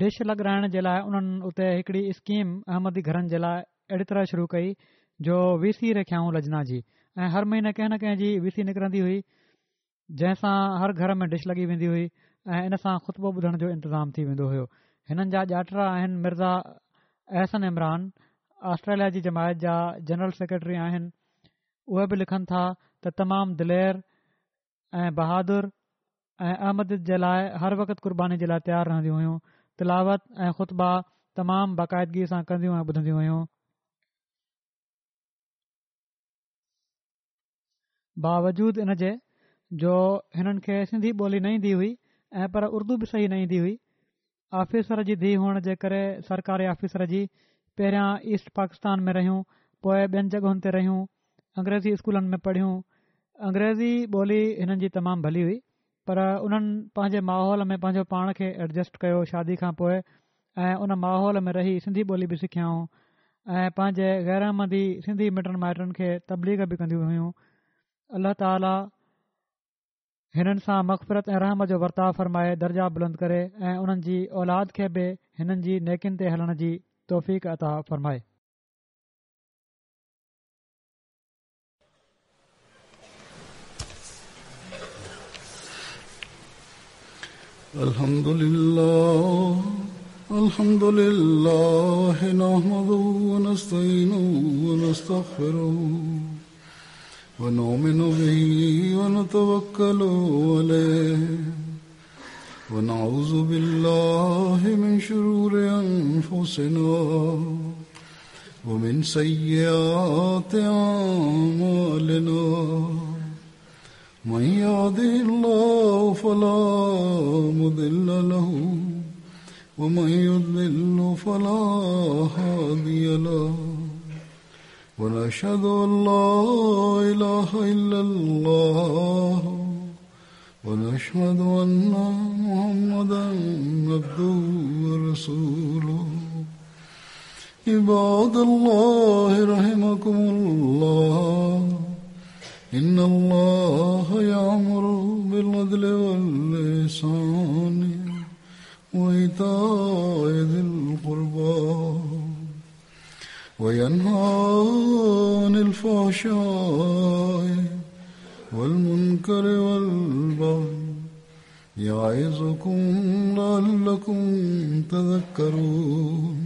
ڊش لڳرائڻ جي لاء انهن اتي هڪڙي اسڪيم احمدي گهرن جي لاء اهڙي طرح شروع ڪئي جو وي سي رکيائون لجنا جي ۽ هر مهيني ڪنهن نه ڪنهن جي وي سي نڪرندي هئي جنهن سان هر گهر ۾ ڊش لڳي ويندي هئي ۽ ان سان خطبو ٻڌڻ جو انتظام ٿي ويندو هيو. هنن جا ڄاٽرا آهن مرزا احسن عمران آسٽريليا جي جماعت جا جنرل سيڪريٽري آهن. اهي به لکن ٿا ته تمام دلير ۽ بهادر ۽ احمديت جي لاء هر وقت قرباني جي لاء تيار رهنديون هيون. تلاوت ۽ خطبا تمام باقاعدگي سان ڪنديون ۽ ٻڌنديون هيون. باوجود ان جي جو هنن کي سنڌي ٻولي نه ايندي هئي ۽ پر اردو به صحيح نه ايندي هئي. آفيسر جي ڌيء هئڻ جي ڪري سرڪاري آفيسر جي پهريان ايسٽ پاڪستان ۾ رهيون پوء ٻين جڳهن تي رهيون انگريزي اسڪولن ۾ پڙهيون انگريزي ٻولي هنن جي تمام ڀلي هئي پر انهن پنهنجي ماحول ۾ پنهنجو پاڻ کي ايڊجسٽ ڪيو شادي کان پوء ۽ ان ماحول ۾ رهي سنڌي ٻولي به سکيائون ۽ پنهنجي غير احمدي سنڌي مٽن مائٽن کي تبليغ به ڪنديون هيون الله تعالي هنن سان مغفرت ۽ رحم جو ورتاء فرمائي درجا بلند ڪري ۽ انهن جي اولاد کي به هنن جي نيڪين تي هلڻ جي توفيق عطا فرمائي. الحمد لله الحمد لله نحمده ونستعينه ونستغفره ونؤمن به ونتوكل عليه ونعوذ بالله من شرور أنفسنا ومن سيئات أعمالنا من يهده الله فلا مضل له ومن يضلل فلا هادي له ونشهد أن لا إله إلا الله ونشهد أن محمدا عبده ورسوله عباد الله رحمكم الله إن الله يأمر بالعدل والإحسان وإيتاء ذي القربى وينهى عن الفحشاء والمنكر والبغي يعظكم لعلكم تذكرون.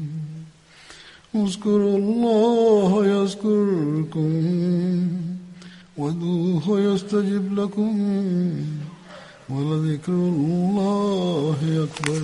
اذكروا الله يذكركم وادعوه يستجب لكم ولذكر الله أكبر.